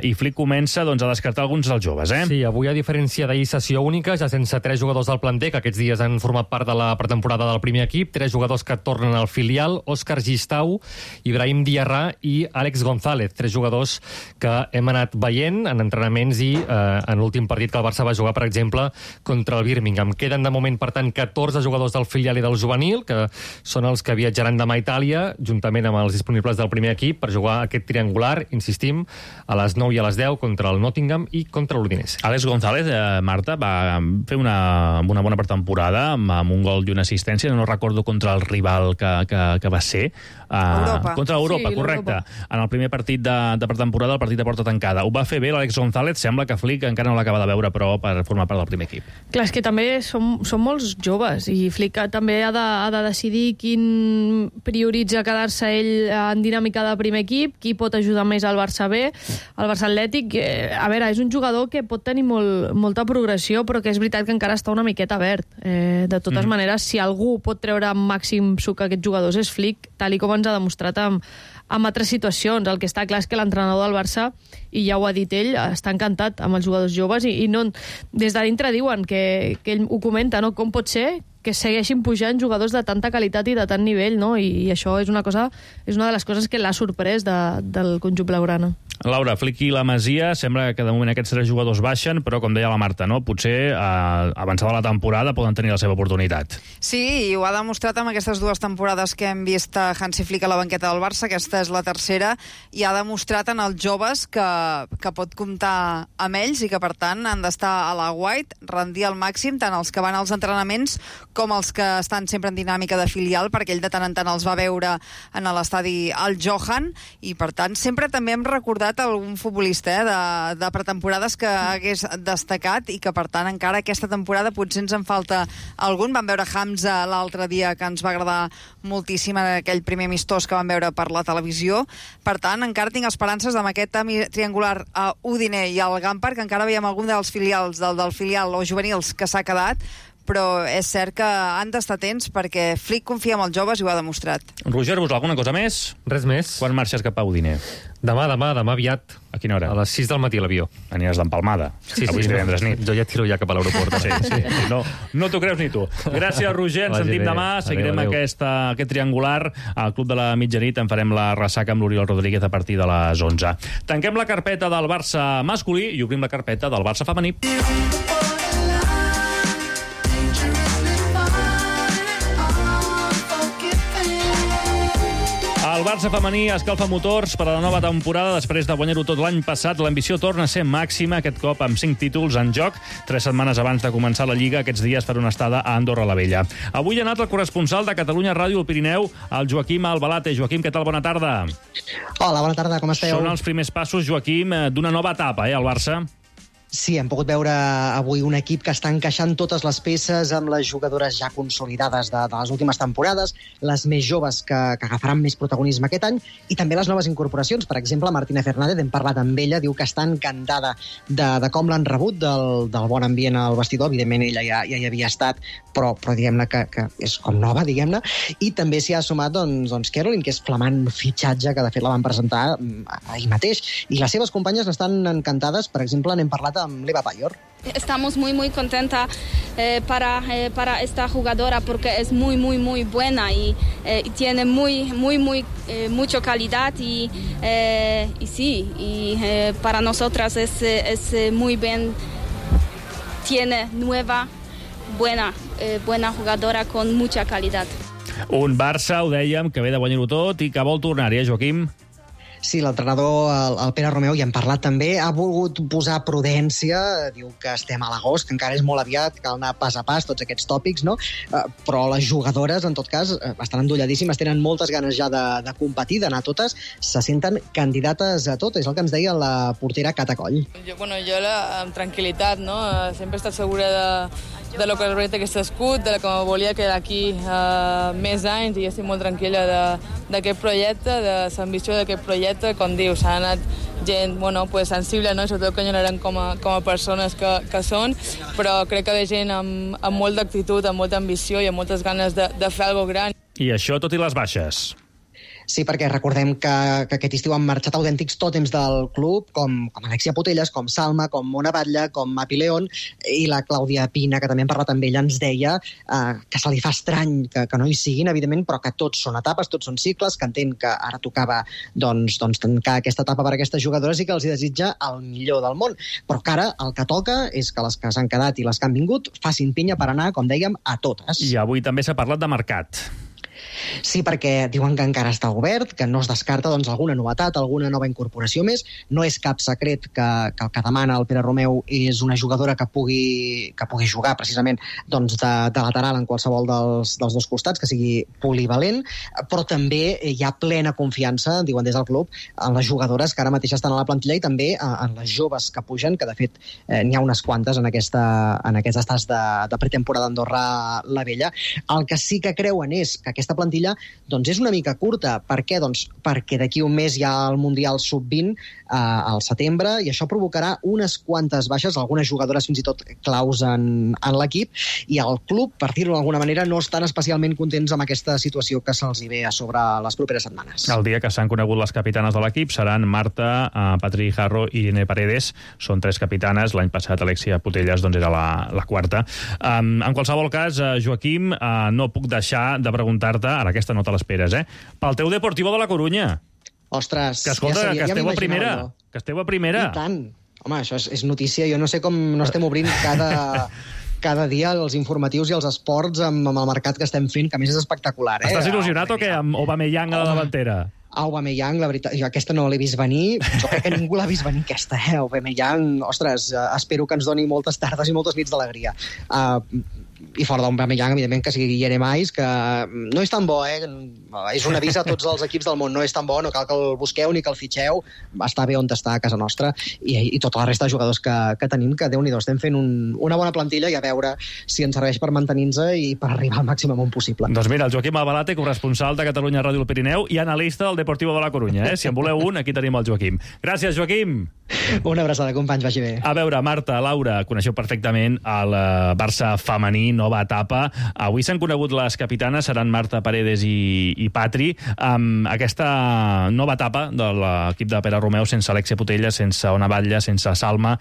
i Flick comença doncs, a descartar alguns dels joves. Sí, avui, a diferència d'ahir, sessió única, ja sense 3 jugadors del planter, que aquests dies han format part de la pretemporada del primer equip, 3 jugadors que tornen al filial: Òscar Gistau, Ibrahim Diarra i Àlex González, 3 jugadors que hem anat veient en entrenaments i en l'últim partit que el Barça va jugar, per exemple, contra el Birmingham. Queden de moment, per tant, 14 jugadors del filial i del juvenil, que són els que viatjaran demà a Itàlia, juntament amb els disponibles del primer equip, per jugar aquest triangular, insistim, a les 9 i a les 10 contra el Nottingham i contra l'Udinese. Àlex González, Marta, va fer una bona pretemporada amb un gol i una assistència, no recordo contra el rival que va ser. Contra l'Europa, sí, correcte. En el primer partit de pretemporada, el partit de porta tancada. Ho va fer bé l'Àlex González, sembla que Flick encara no l'acaba de veure, però per formar part del primer equip. Clar, és que també són molts joves, i Flick també ha de decidir quin prioritza quedar-se ell en dinàmica de primer equip, qui pot ajudar més al Barça B, al Barça Atlètic. A veure, és un jugador que pot tenir molta progressió, però que és veritat que encara està una miqueta verd. De totes maneres, si algú pot treure màxim suc a aquests jugadors és Flick, tal i com ens ha demostrat amb altres situacions. El que està clar és que l'entrenador del Barça, i ja ho ha dit ell, està encantat amb els jugadors joves, i no, des de dintre diuen que ell ho comenta, no? Com pot ser que segueixin pujant jugadors de tanta qualitat i de tant nivell, no? I això és una de les coses que l'ha sorprès del conjunt blaugrana. Laura, Flick i la Masia, sembla que de moment aquests 3 jugadors baixen, però com deia la Marta, no? Potser avançada la temporada poden tenir la seva oportunitat. Sí, i ho ha demostrat amb aquestes 2 temporades que hem vist a Hansi Flick a la banqueta del Barça. Aquesta és la tercera, i ha demostrat en els joves que pot comptar amb ells i que per tant han d'estar a la White, rendir al màxim, tant els que van als entrenaments com els que estan sempre en dinàmica de filial, perquè ell de tant en tant els va veure en l'estadi al Johan, i per tant sempre també hem recordat algun futbolista de pretemporades que hagués destacat, i que per tant encara aquesta temporada potser ens en falta algun. Vam veure Hamza l'altre dia, que ens va agradar moltíssim en aquell primer amistós que vam veure per la televisió. Per tant, encara tinc esperances amb aquest triangular a Udine i al Gampar, que encara veiem algun dels filials del filial o juvenils que s'ha quedat, però és cert que han d'estar atents perquè Flick confia en els joves i ho ha demostrat. Roger, vos alguna cosa més? Res més. Quan marxes cap a Udine? Demà aviat. A quina hora? A les 6 del matí a l'avió. Aniràs d'empalmada. Sí, avui és divendres nit. Jo ja tiro ja cap a l'aeroport. Sí. No t'ho creus ni tu. Gràcies, Roger. Ens sentim demà. Seguirem aquest triangular al Club de la Mitjanit. En farem la ressaca amb l'Oriol Rodríguez a partir de les 11. Tanquem la carpeta del Barça masculí i obrim la carpeta del Barça femení. El Barça femení escalfa motors per a la nova temporada. Després de guanyar-ho tot l'any passat, l'ambició torna a ser màxima, aquest cop amb 5 títols en joc. 3 setmanes abans de començar la Lliga, aquests dies per una estada a Andorra la Vella. Avui ha anat el corresponsal de Catalunya Ràdio al Pirineu, el Joaquim Albalate. Joaquim, què tal? Bona tarda. Hola, bona tarda, com esteu? Són els primers passos, Joaquim, d'una nova etapa, al Barça. Sí, hem pogut veure avui un equip que està encaixant totes les peces amb les jugadores ja consolidades de les últimes temporades, les més joves que agafaran més protagonisme aquest any, i també les noves incorporacions. Per exemple, Martina Fernández, hem parlat amb ella, diu que està encantada de com l'han rebut, del bon ambient al vestidor. Evidentment, ella ja hi havia estat, però diguem-ne que és com nova, diguem-ne. I també s'hi ha sumat doncs Caroline, que és flamant fitxatge, que de fet la van presentar ahir mateix. I les seves companyes estan encantades. Per exemple, n'hem parlat amb l'Eva Payor. Estamos muy contenta para esta jugadora porque es muy buena y tiene mucha calidad y sí, y para nosotras es muy bien, tiene nueva buena jugadora con mucha calidad. Un Barça, ho dèiem, que ve de guanyar-ho tot i que vol tornar-hi, Joaquim? Sí, l'entrenador, el Pere Romeu, ja hem parlat també, ha volgut posar prudència, diu que estem a l'agost, que encara és molt aviat, cal anar pas a pas, tots aquests tòpics, no? Però les jugadores, en tot cas, estan endolladíssimes, tenen moltes ganes ja de competir, d'anar totes, se senten candidates a tot, és el que ens deia la portera Cata Coll. Jo amb tranquil·litat, no? Sempre he estat segura de lo que el projecte que s'ha escut, de que volia quedar aquí més anys i estic molt tranquil·la d'aquest projecte, de l'ambició d'aquest projecte. Com dius, s'ha anat gent sensible, no? Sobretot que eren com a persones que són, però crec que ve gent amb molta actitud, amb molta ambició i amb moltes ganes de fer alguna cosa gran. I això tot i les baixes. Sí, perquè recordem que aquest estiu han marxat autèntics tòtems del club, com Alexia Putellas, com Salma, com Mona Batlle, com Mapi León, i la Clàudia Pina, que també hem parlat amb ella, ens deia que se li fa estrany que no hi siguin, evidentment, però que tots són etapes, tots són cicles, que entén que ara tocava tancar aquesta etapa per a aquestes jugadores i que els hi desitja el millor del món. Però que ara el que toca és que les que s'han quedat i les que han vingut facin pinya per anar, com dèiem, a totes. I avui també s'ha parlat de mercat. Sí, perquè diuen que encara està obert, que no es descarta alguna novetat, alguna nova incorporació més. No és cap secret que el que demana el Pere Romeu és una jugadora que pugui jugar precisament de lateral en qualsevol dels dos costats, que sigui polivalent, però també hi ha plena confiança, diuen des del club, en les jugadores que ara mateix estan a la plantilla i també en les joves que pugen, que de fet n'hi ha unes quantes en aquests estats de pretemporada d'Andorra la Vella. El que sí que creuen és que aquesta plantilla és una mica curta. Per què? Perquè d'aquí un mes hi ha el Mundial Sub-20 al setembre i això provocarà unes quantes baixes, algunes jugadores fins i tot claus en l'equip, i el club, per dir-ho d'alguna manera, no estan especialment contents amb aquesta situació que se'ls hi ve a sobre les properes setmanes. El dia que s'han conegut les capitanes de l'equip seran Marta, Patri Jarro i Irene Paredes. Són 3 capitanes. L'any passat Alexia Putellas era la quarta. En qualsevol cas, Joaquim, no puc deixar de preguntar-te, ara aquesta no te l'esperes, pel teu Deportivo de la Corunya. Ostres, que escolta, que esteu a primera. Que esteu a primera. I tant. Home, això és notícia. Jo no sé com no estem obrint cada dia els informatius i els esports amb el mercat que estem fent, que a més és espectacular. Estàs il·lusionat o què, amb Aubameyang a la davantera? Aubameyang, la veritat, jo aquesta no l'he vist venir, jo crec que ningú l'ha vist venir aquesta, Aubameyang, ostres, espero que ens doni moltes tardes i moltes nits d'alegria. I fora d'Aubameyang, evidentment, que sigui Jeremais, que no és tan bo, és un avís a tots els equips del món, no és tan bo, no cal que el busqueu ni que el fitxeu, està bé on està a casa nostra, i tota la resta de jugadors que tenim, que Déu-n'hi-do, estem fent una bona plantilla i a veure si ens serveix per mantenir-nos i per arribar al màxim amunt possible. Doncs mira, el Joaquim Albalate, corresponsal de Catalunya Ràdio al Pirineu i analista del Deportivo de la Corunya. Si en voleu un, aquí tenim el Joaquim. Gràcies, Joaquim! Una abraçada, companys, vagi bé. A veure, Marta, Laura, coneixeu perfectament el Barça femení, nova etapa. Avui s'han conegut les capitanes, seran Marta Paredes i Patri. Aquesta nova etapa de l'equip de Pere Romeu, sense Alexia Putellas, sense Ona Batlle, sense Salma.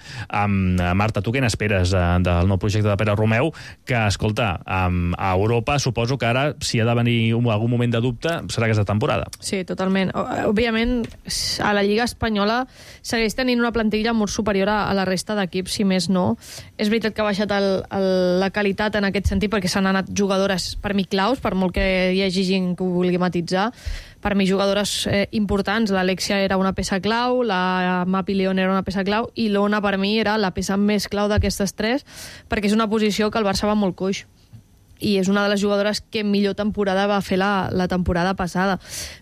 Marta, tu què n'esperes del nou projecte de Pere Romeu? Que, escolta, a Europa suposo que ara, si ha de venir algun moment de dubte, serà aquesta temporada. Sí, totalment. Òbviament, a la Lliga Espanyola segueix tenint una plantilla molt superior a la resta d'equips, si més no. És veritat que ha baixat la qualitat en aquest sentit, perquè s'han anat jugadores, per mi, claus, per molt que hi hagi gent que ho vulgui matitzar. Per mi, jugadores importants. L'Alexia era una peça clau, la Mapi León era una peça clau, i l'Ona, per mi, era la peça més clau d'aquestes 3, perquè és una posició que el Barça va molt coix. I és una de les jugadores que millor temporada va fer la temporada passada.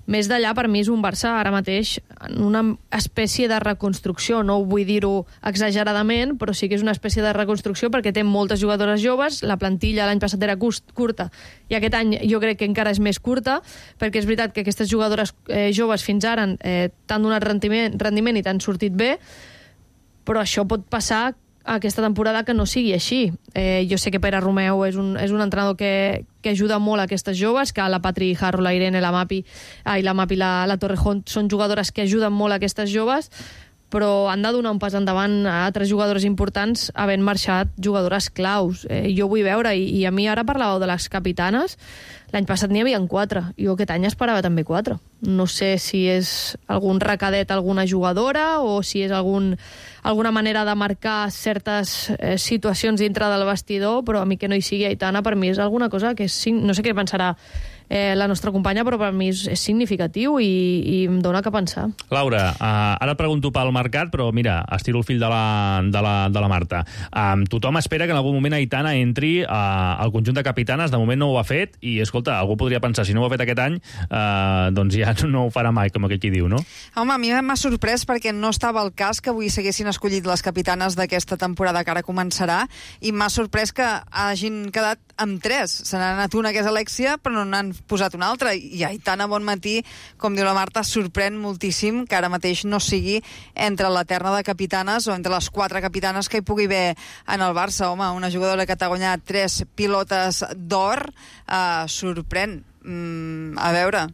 Més d'allà, per mi, és un Barça ara mateix en una espècie de reconstrucció. No vull dir-ho exageradament, però sí que és una espècie de reconstrucció perquè té moltes jugadores joves, la plantilla l'any passat era curta i aquest any jo crec que encara és més curta, perquè és veritat que aquestes jugadores joves fins ara t'han donat rendiment i t'han sortit bé, però això pot passar aquesta temporada que no sigui així. Jo sé que Pere Romeu és un entrenador que ajuda molt a aquestes joves, que la Patri Jarro, la Irene, la Mapi, la Torrejón són jugadores que ajuden molt a aquestes joves, però han de donar un pas endavant a altres jugadores importants havent marxat jugadores claus. Jo vull veure, i a mi ara parlàveu de les capitanes, l'any passat n'hi havia 4, jo aquest any esperava també 4. No sé si és algun recadet a alguna jugadora o si és alguna manera de marcar certes situacions dintre del vestidor, però a mi que no hi sigui Aitana, per mi és alguna cosa que no sé què pensarà la nostra companya, però per mi és significatiu i em dona que pensar. Laura, ara et pregunto pel mercat, però mira, estiro el fill de la Marta. Tothom espera que en algun moment Aitana entri al conjunt de capitanes, de moment no ho ha fet, i escolta, algú podria pensar, si no ho ha fet aquest any, doncs ja no ho farà mai, com aquell qui diu, no? Home, a mi m'ha sorprès perquè no estava al cas que avui s'haguessin escollit les capitanes d'aquesta temporada que ara començarà, i m'ha sorprès que hagin quedat amb 3. Se n'ha anat una, que és Alexia, però no n'han posat una altra. I Aitana Bonmatí, com diu la Marta, sorprèn moltíssim que ara mateix no sigui entre la terna de capitanes o entre les 4 capitanes que hi pugui haver en el Barça. Home, una jugadora que t'ha guanyat 3 pilotes d'or, sorprèn. A veure,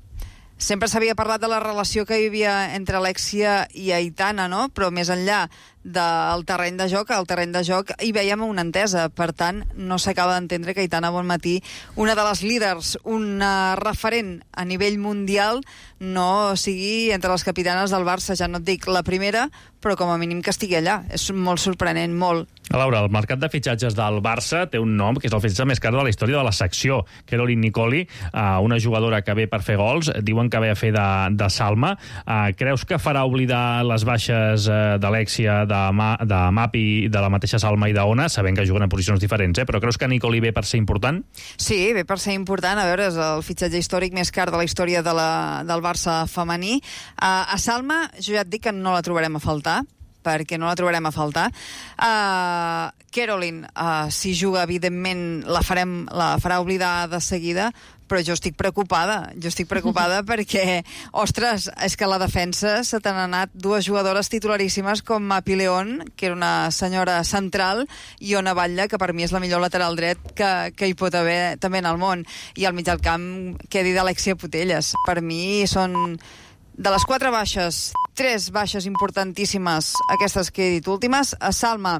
sempre s'havia parlat de la relació que hi havia entre Alexia i Aitana, no? Però més enllà del terreny de joc, al terreny de joc hi veiem una entesa. Per tant, no s'acaba d'entendre que Aitana Bonmatí, una de les líders, una referent a nivell mundial, no sigui entre les capitanes del Barça. Ja no et dic la primera, però com a mínim que estigui allà. És molt sorprenent, molt. Laura, el mercat de fitxatges del Barça té un nom que és el fitxatge més car de la història de la secció. Caroline Nicoli, una jugadora que ve per fer gols, diuen que ve a fer de Salma. Creus que farà oblidar les baixes d'Alexia, de Mapi, de la mateixa Salma i d'Ona, sabent que juguen en posicions diferents, però creus que Nicoli ve per ser important? Sí, ve per ser important. A veure, és el fitxatge històric més car de la història del Barça femení. A Salma, jo ja et dic que no la trobarem a faltar, perquè no la trobarem a faltar. Caroline, si juga, evidentment, la farà oblidar de seguida, però jo estic preocupada. Perquè, ostres, és que a la defensa se t'han anat 2 jugadores titularíssimes com Mapi León, que era una senyora central, i Ona Batlle, que per mi és la millor lateral dret que hi pot haver també en el món. I al mig del camp, què dir d'Alexia Putellas? Per mi són... De les 4 baixes, 3 baixes importantíssimes, aquestes que he dit últimes. A Salma,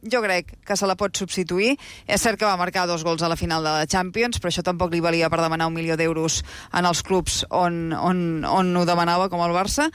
jo crec que se la pot substituir. És cert que va marcar 2 gols a la final de la Champions, però això tampoc li valia per demanar 1 milió d'euros en els clubs on ho demanava, com el Barça.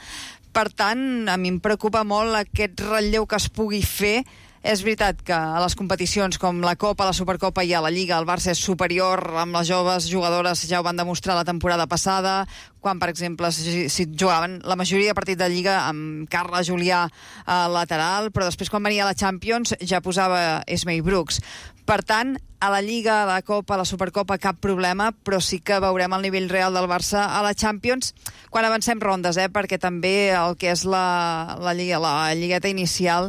Per tant, a mi em preocupa molt aquest relleu que es pugui fer. És veritat que a les competicions com la Copa, la Supercopa i a la Lliga el Barça és superior amb les joves jugadores, ja ho van demostrar la temporada passada, quan, per exemple, si jugaven la majoria de partits de Lliga amb Carla Julià lateral, però després quan venia a la Champions ja posava Esmei Brooks. Per tant, a la Lliga, a la Copa, a la Supercopa, cap problema, però sí que veurem el nivell real del Barça a la Champions quan avancem rondes, perquè també el que és la lligueta inicial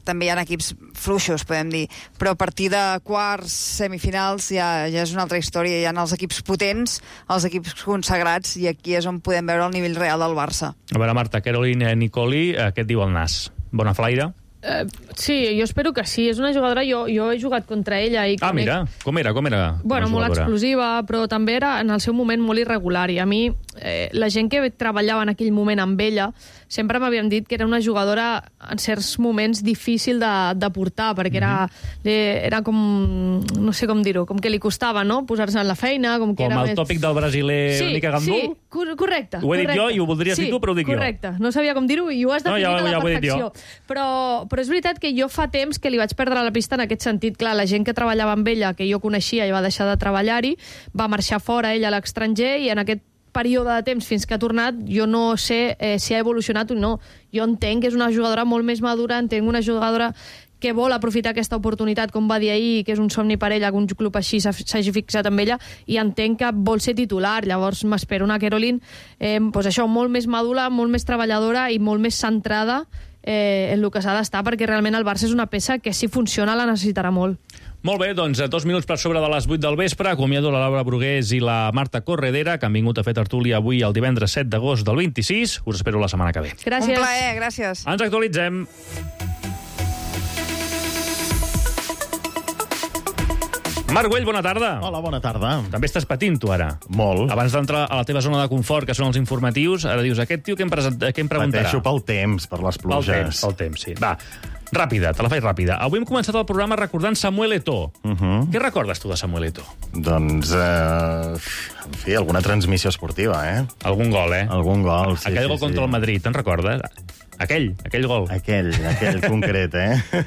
també hi ha equips fluixos, podem dir, però a partir de quarts, semifinals, ja és una altra història. Hi ha els equips potents, els equips consagrats, i aquí és on podem veure el nivell real del Barça. A veure, Marta, Caroline Nicoli, què et diu el nas? Bona flaire? Sí, jo espero que sí. És una jugadora, jo he jugat contra ella. Mira, com era? Bueno, molt explosiva, però també era en el seu moment molt irregular, i a mi la gent que treballava en aquell moment amb ella sempre m'havien dit que era una jugadora en certs moments difícil de portar, perquè era com, no sé com dir-ho, com que li costava, no?, posar-se en la feina, com que era el tòpic del brasiler una mica gandul? Sí, correcte. Ho he dit jo i ho voldries dir tu, però ho dic jo. Correcte, no sabia com dir-ho i ho has definit a la perfecció. Però és veritat que jo fa temps que li vaig perdre la pista en aquest sentit. Clar, la gent que treballava amb ella, que jo coneixia i va deixar de treballar-hi, va marxar fora ella a l'estranger, i en aquest període de temps fins que ha tornat jo no sé si ha evolucionat o no. Jo entenc que és una jugadora molt més madura, entenc una jugadora que vol aprofitar aquesta oportunitat, com va dir ahir, que és un somni per ella, que un club així s'hagi fixat amb ella, i entenc que vol ser titular. Llavors m'espero una Caroline molt més madura, molt més treballadora i molt més centrada en el que s'ha d'estar, perquè realment el Barça és una peça que, si funciona, la necessitarà molt. Molt bé, doncs 2 minuts per sobre de les 8 del vespre. Acomiado la Laura Brugués i la Marta Corredera, que han vingut a fer tertúlia avui el divendres 7 d'agost del 26. Us espero la setmana que ve. Gràcies. Un plaer, gràcies. Ens actualitzem. Marc Güell, bona tarda. Hola, bona tarda. També estàs patint, tu, ara. Molt. Abans d'entrar a la teva zona de confort, que són els informatius, ara dius, aquest tio què em preguntarà? Pateixo pel temps, per les pluges. Pel temps, sí. Va, ràpida, te la faig ràpida. Avui hem començat el programa recordant Samuel Eto'o. Què recordes tu de Samuel Eto'o? Doncs, en fi, alguna transmissió esportiva, Algun gol, Algun gol, sí. Aquell gol contra el Madrid, te'n recordes? Aquell gol. Aquell concret,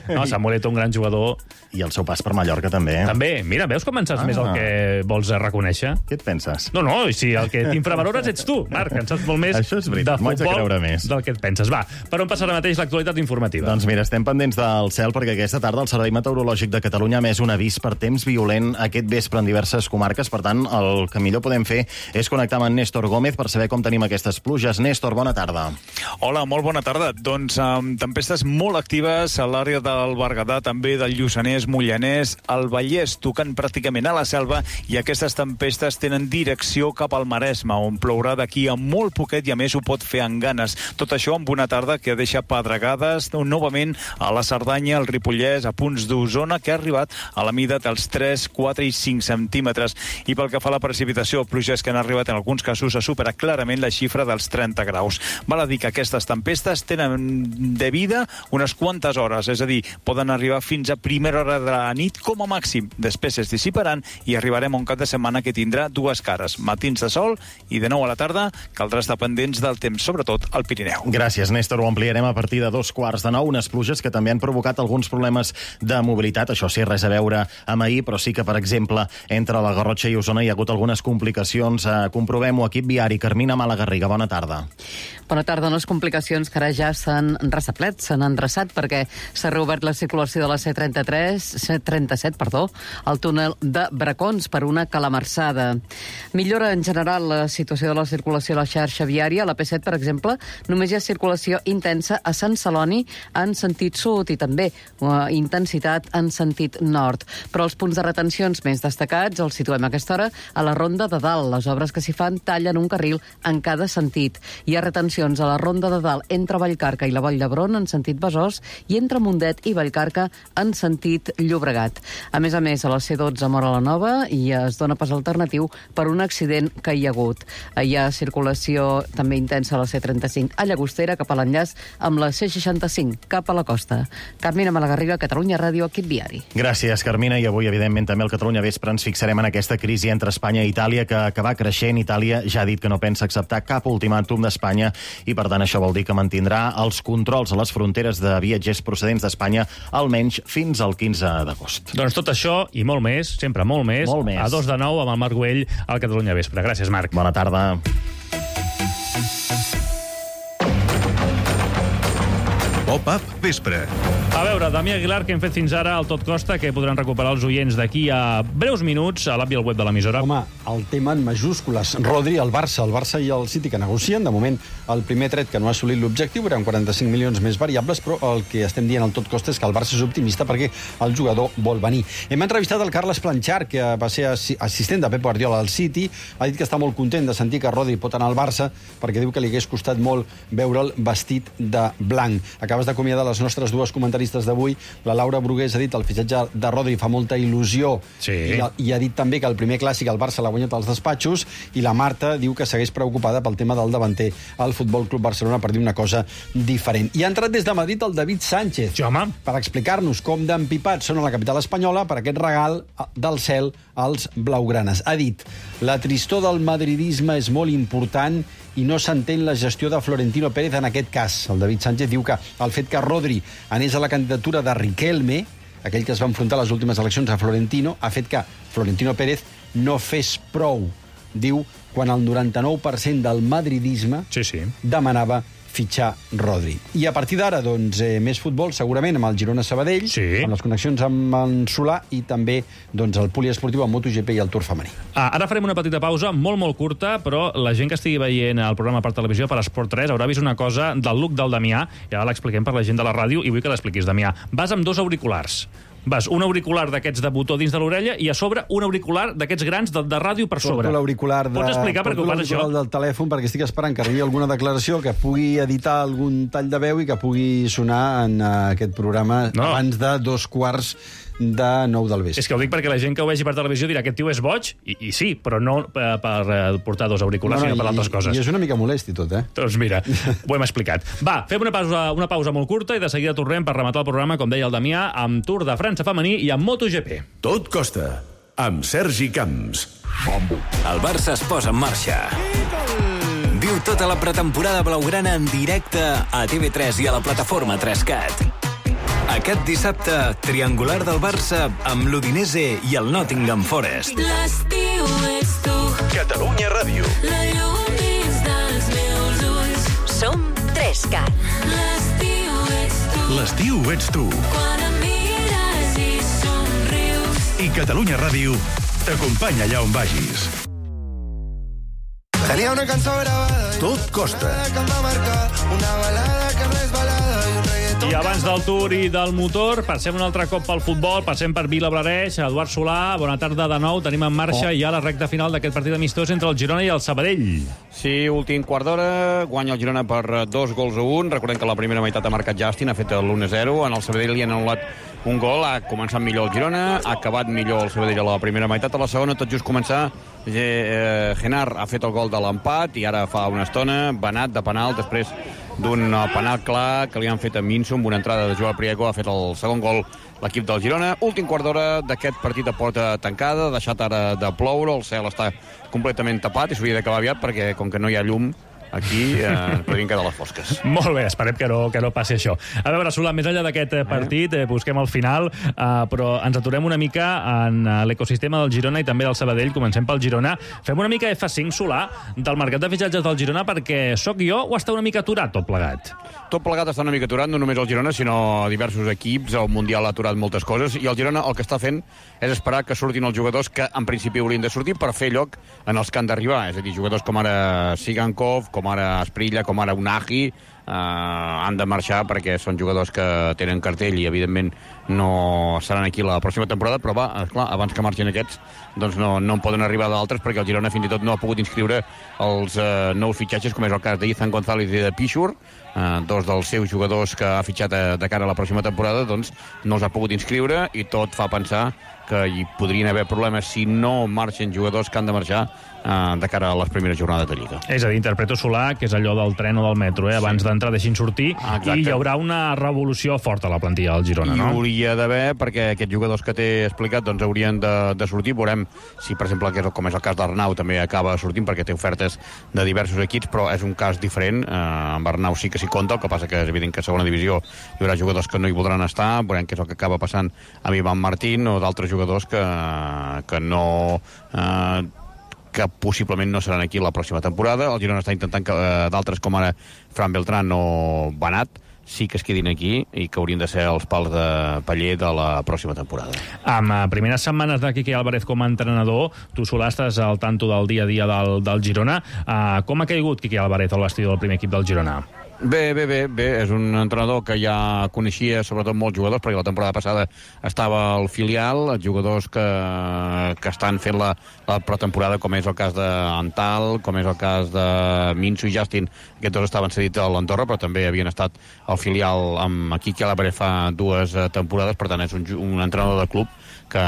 No, Samuel Eto'o, un gran jugador. I el seu pas per Mallorca, també. També. Mira, veus com en saps més el que vols reconèixer? Què et penses? No, si el que t'infravalores ets tu, Marc, en saps molt més Això és veritat, de m'ho haig de futbol creure més. del que et penses. Va, per on passa ara mateix l'actualitat informativa? Doncs mira, estem pendents del cel perquè aquesta tarda el Servei Meteorològic de Catalunya ha emès un avís per temps violent aquest vespre en diverses comarques. Per tant, el que millor podem fer és connectar amb en Néstor Gómez per saber com tenim aquestes pluges. Néstor, bona tarda. Hola, molt bona tarda. Doncs tempestes molt actives a l'àrea del Berguedà, també del Lluçanès, Mollanès, el Vallès, tocant pràcticament a la selva, i aquestes tempestes tenen direcció cap al Maresme, on plourà d'aquí a molt poquet i a més ho pot fer amb ganes. Tot això amb una tarda que deixa pedregades novament a la Cerdanya, al Ripollès, a punts d'Osona, que ha arribat a la mida dels 3, 4 i 5 centímetres. I pel que fa a la precipitació, pluges que han arribat en alguns casos a superar clarament la xifra dels 30 graus. Val a dir que aquestes tempestes tenen de vida unes quantes hores, és a dir, poden arribar fins a primera hora de la nit com a màxim. Després es dissiparan i arribarem a un cap de setmana que tindrà dues cares, matins de sol i de nou a la tarda caldrà estar pendents del temps, sobretot al Pirineu. Gràcies, Néstor. Ho ampliarem a partir de 2:15, unes pluges que també han provocat alguns problemes de mobilitat. Això sí, res a veure amb ahir, però sí que, per exemple, entre la Garrotxa i Osona hi ha hagut algunes complicacions. Comprovem-ho, equip viari. Carmina Malagarriga, bona tarda. Bona tarda. Unes complicacions que ara ja s'han ressaplet, s'han endreçat, perquè s'ha reobert la circulació de la C37, al túnel de Bracons per una calamarsada. Millora en general la situació de la circulació a la xarxa viària. A la P7, per exemple, només hi ha circulació intensa a Sant Celoni en sentit sud i també intensitat en sentit nord. Però els punts de retencions més destacats els situem a aquesta hora a la Ronda de Dalt. Les obres que s'hi fan tallen un carril en cada sentit. Hi ha retencions a la Ronda de Dalt entre Vallcarca i la Vall d'Hebron en sentit Besòs i entre Mundet i Vallcarca en sentit Llobregat. A més, a la C12 a Móra la Nova i es dona pas alternatiu per un accident que hi ha hagut. Hi ha circulació també intensa a la C35 a Llagostera cap a l'enllaç amb la C65 cap a la costa. Carmina Malagarriga, Catalunya Ràdio, equip viari. Gràcies, Carmina. I avui, evidentment, també al Catalunya Vespre ens fixarem en aquesta crisi entre Espanya i Itàlia que va creixent. Itàlia ja ha dit que no pensa acceptar cap ultimàtum d'Espanya i, per tant, això vol dir que mantindrà els controls a les fronteres de viatgers procedents d'Espanya almenys fins al 15 d'agost. Doncs tot això i molt més, sempre molt més, a 2 de 9 amb el Marc Güell al Catalunya Vespre. Gràcies, Marc. Bona tarda. Pop-up Vespre. A veure, Damià Aguilar, que hem fet fins ara al Tot Costa, que podran recuperar els oients d'aquí a breus minuts a l'app i al web de l'emissora. Home, el tema en majúscules. Rodri, el Barça i el City que negocien. De moment, el primer tret que no ha assolit l'objectiu eren 45 milions més variables, però el que estem dient al Tot Costa és que el Barça és optimista perquè el jugador vol venir. Hem entrevistat el Carles Planchar, que va ser assistent de Pep Guardiola al City. Ha dit que està molt content de sentir que Rodri pot anar al Barça perquè diu que li hagués costat molt veure'l vestit de blanc. Acabes d'acomiadar les nostres dues comentaristes d'avui. La Laura Brugués ha dit el fitxatge de Rodri fa molta il·lusió, sí. I ha dit també que el primer clàssic el Barça l'ha guanyat als despatxos, i la Marta diu que segueix preocupada pel tema del davanter al Futbol Club Barcelona per dir una cosa diferent. I ha entrat des de Madrid el David Sánchez per explicar-nos com d'empipats són a la capital espanyola per aquest regal del cel als blaugranes. Ha dit: la tristor del madridisme és molt important i no s'entén la gestió de Florentino Pérez en aquest cas. El David Sánchez diu que el fet que Rodri anés a la candidatura de Riquelme, aquell que es va enfrontar a les últimes eleccions a Florentino, ha fet que Florentino Pérez no fes prou, diu, quan el 99% del madridisme demanava fitxar Rodri. I a partir d'ara, doncs, més futbol, segurament, amb el Girona-Sabadell, amb les connexions amb en Solà i també doncs, el poliesportiu, el MotoGP i el Tour femení. Ara farem una petita pausa, molt curta, però la gent que estigui veient el programa per televisió, per Esport 3, haurà vist una cosa del look del Damià, i ara l'expliquem per la gent de la ràdio, i vull que l'expliquis, Damià. Vas amb 2 auriculars. Vas un auricular d'aquests de botó dins de l'orella i a sobre un auricular d'aquests grans de ràdio per sobre. Porto l'auricular Pots explicar per què ho fas, això? Del telèfon, perquè estic esperant que arribi alguna declaració que pugui editar algun tall de veu i que pugui sonar en aquest programa abans de 8:45 del vespre. És que ho dic perquè la gent que ho vegi per televisió dirà aquest tio és boig, i sí, però no per portar 2 auriculars, sinó per altres coses. I és una mica molest i tot, Doncs mira, ho hem explicat. Va, fem una pausa molt curta i de seguida tornem per rematar el programa, com deia el Damià, amb Tour de França femení i amb MotoGP. Tot Costa, amb Sergi Camps. El Barça es posa en marxa. Viu tota la pretemporada blaugrana en directe a TV3 i a la plataforma 3CAT. Aquest dissabte, triangular del Barça amb l'Udinese i el Nottingham Forest. L'estiu ets tu. Catalunya Ràdio. La llum dins dels meus ulls. Som 3CAT. L'estiu ets tu. L'estiu ets tu. Quan em mires i somrius. I Catalunya Ràdio t'acompanya allà on vagis. Tenia una cançó gravada. Tot costa. Que em va marcar una balada que no és balada i un reggaeton. I abans del Tour i del motor, passem un altre cop pel futbol, passem per Vilablareix. Eduard Solà, bona tarda de nou. Tenim en marxa ja la recta final d'aquest partit amistós entre el Girona i el Sabadell. Sí, últim quart d'hora, guanya el Girona per 2-1. Recordem que la primera meitat ha marcat Justin, ha fet l'1-0. En el Sabadell li han anul·lat un gol, ha començat millor el Girona, ha acabat millor el Sabadell a la primera meitat. A la segona, tot just començar, Genar ha fet el gol de l'empat i ara fa una estona, Benat de penal, després d'un penal clar que li han fet a Minso amb una entrada de Joao Priego, ha fet el segon gol l'equip del Girona. Últim quart d'hora d'aquest partit de porta tancada, deixat ara de ploure, el cel està completament tapat i s'hauria d'acabar aviat perquè com que no hi ha llum aquí podrien quedar les fosques. Molt bé, esperem que no passi això. A veure, Solà, més enllà d'aquest partit, busquem el final, però ens aturem una mica en l'ecosistema del Girona i també del Sabadell. Comencem pel Girona. Fem una mica F5, Solà, del mercat de fitxatges del Girona, perquè sóc jo o està una mica aturat tot plegat? Tot plegat està una mica aturat, no només el Girona, sinó diversos equips. El Mundial ha aturat moltes coses i el Girona el que està fent és esperar que surtin els jugadors que en principi haurien de sortir per fer lloc en els que han d'arribar. És a dir, jugadors com ara Sigankov, com ara Asprilla, com ara Unagi, han de marxar perquè són jugadors que tenen cartell i evidentment no seran aquí la pròxima temporada, però clar, abans que marxin aquests doncs no en poden arribar d'altres perquè el Girona fins i tot no ha pogut inscriure els nous fitxatges, com és el cas d'Izan González i de Pichur, dos dels seus jugadors que ha fitxat de cara a la pròxima temporada, doncs no els ha pogut inscriure i tot fa pensar que hi podrien haver problemes si no marxen jugadors que han de marxar de cara a les primeres jornades de Lliga. És a dir, interpreto, Solà, que és allò del tren o del metro, abans d'entrar deixin sortir, i hi haurà una revolució forta a la plantilla del Girona, no? Hi hauria d'haver, perquè aquests jugadors que t'he explicat doncs haurien de sortir. Veurem si, per exemple, com és el cas d'Arnau, també acaba sortint, perquè té ofertes de diversos equips, però és un cas diferent. Amb Arnau sí que s'hi compta, el que passa que és evident que a segona divisió hi haurà jugadors que no hi voldran estar. Veurem què és el que acaba passant amb Ivan Martín o d'altres jugadors que no... que possiblement no seran aquí la pròxima temporada. El Girona està intentant que d'altres com ara Fran Beltrán o Benat sí que es quedin aquí i que haurien de ser els pals de paller de la pròxima temporada. Amb primeres setmanes de Quique Álvarez com a entrenador, tu, Solà, estàs al tanto del dia a dia del Girona. Com ha caigut Quique Álvarez al vestidor del primer equip del Girona? Bé. És un entrenador que ja coneixia sobretot molts jugadors, perquè la temporada passada estava al filial, jugadors que estan fent la pretemporada, com és el cas d'Antal, com és el cas de Minso i Justin. Aquests dos estaven cedits a l'Andorra, però també havien estat al filial amb Quique Álvarez fa 2 temporades, per tant és un entrenador de club que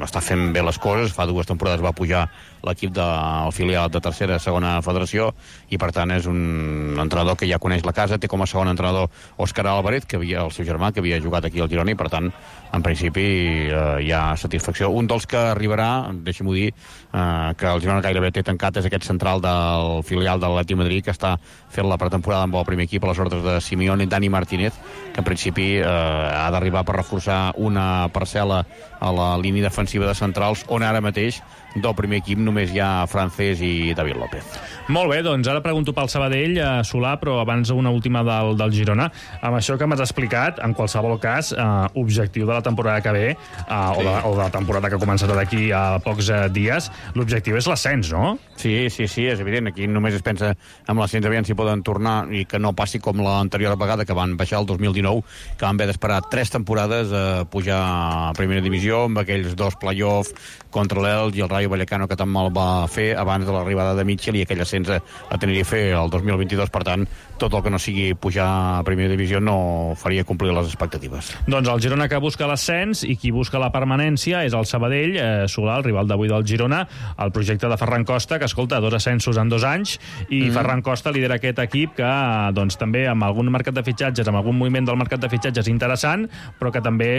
està fent bé les coses. Fa 2 temporades va pujar l'equip del filial de tercera a segona federació i per tant és un entrenador que ja coneix la casa. Té com a segon entrenador Òscar Álvarez, que havia el seu germà, que havia jugat aquí al Girona, i per tant en principi hi ha satisfacció. Un dels que arribarà, deixem-ho dir, que el Girona gairebé té tancat, és aquest central del filial de l'Atlètic Madrid, que està fent la pretemporada amb el primer equip a les ordres de Simeone, Dani Martínez, que en principi ha d'arribar per reforçar una parcel·la a la línia defensiva de centrals, on ara mateix del primer equip només hi ha Francés i David López. Molt bé, doncs ara pregunto pel Sabadell, Solà, però abans una última del Girona. Amb això que m'has explicat, en qualsevol cas, objectiu de la temporada que ve, o de la temporada que ha començat d'aquí a pocs dies, l'objectiu és l'ascens, no? Sí, és evident. Aquí només es pensa amb l'ascens, aviam si poden tornar i que no passi com l'anterior vegada, que van baixar el 2019, que van haver d'esperar 3 temporades a pujar a primera divisió, amb aquells 2 play-off contra l'Elx i el Rayo Vallecano, que tan mal va fer abans de l'arribada de Mitchell i aquell ascens a Tenerife el 2022. Per tant, tot el que no sigui pujar a primera divisió no faria complir les expectatives. Doncs el Girona que busca l'ascens i qui busca la permanència és el Sabadell, Solà, el rival d'avui del Girona, el projecte de Ferran Costa, que escolta, 2 ascensos en 2 anys, i Ferran Costa lidera aquest equip que doncs, també amb algun mercat de fitxatges, amb algun moviment del mercat de fitxatges interessant, però que també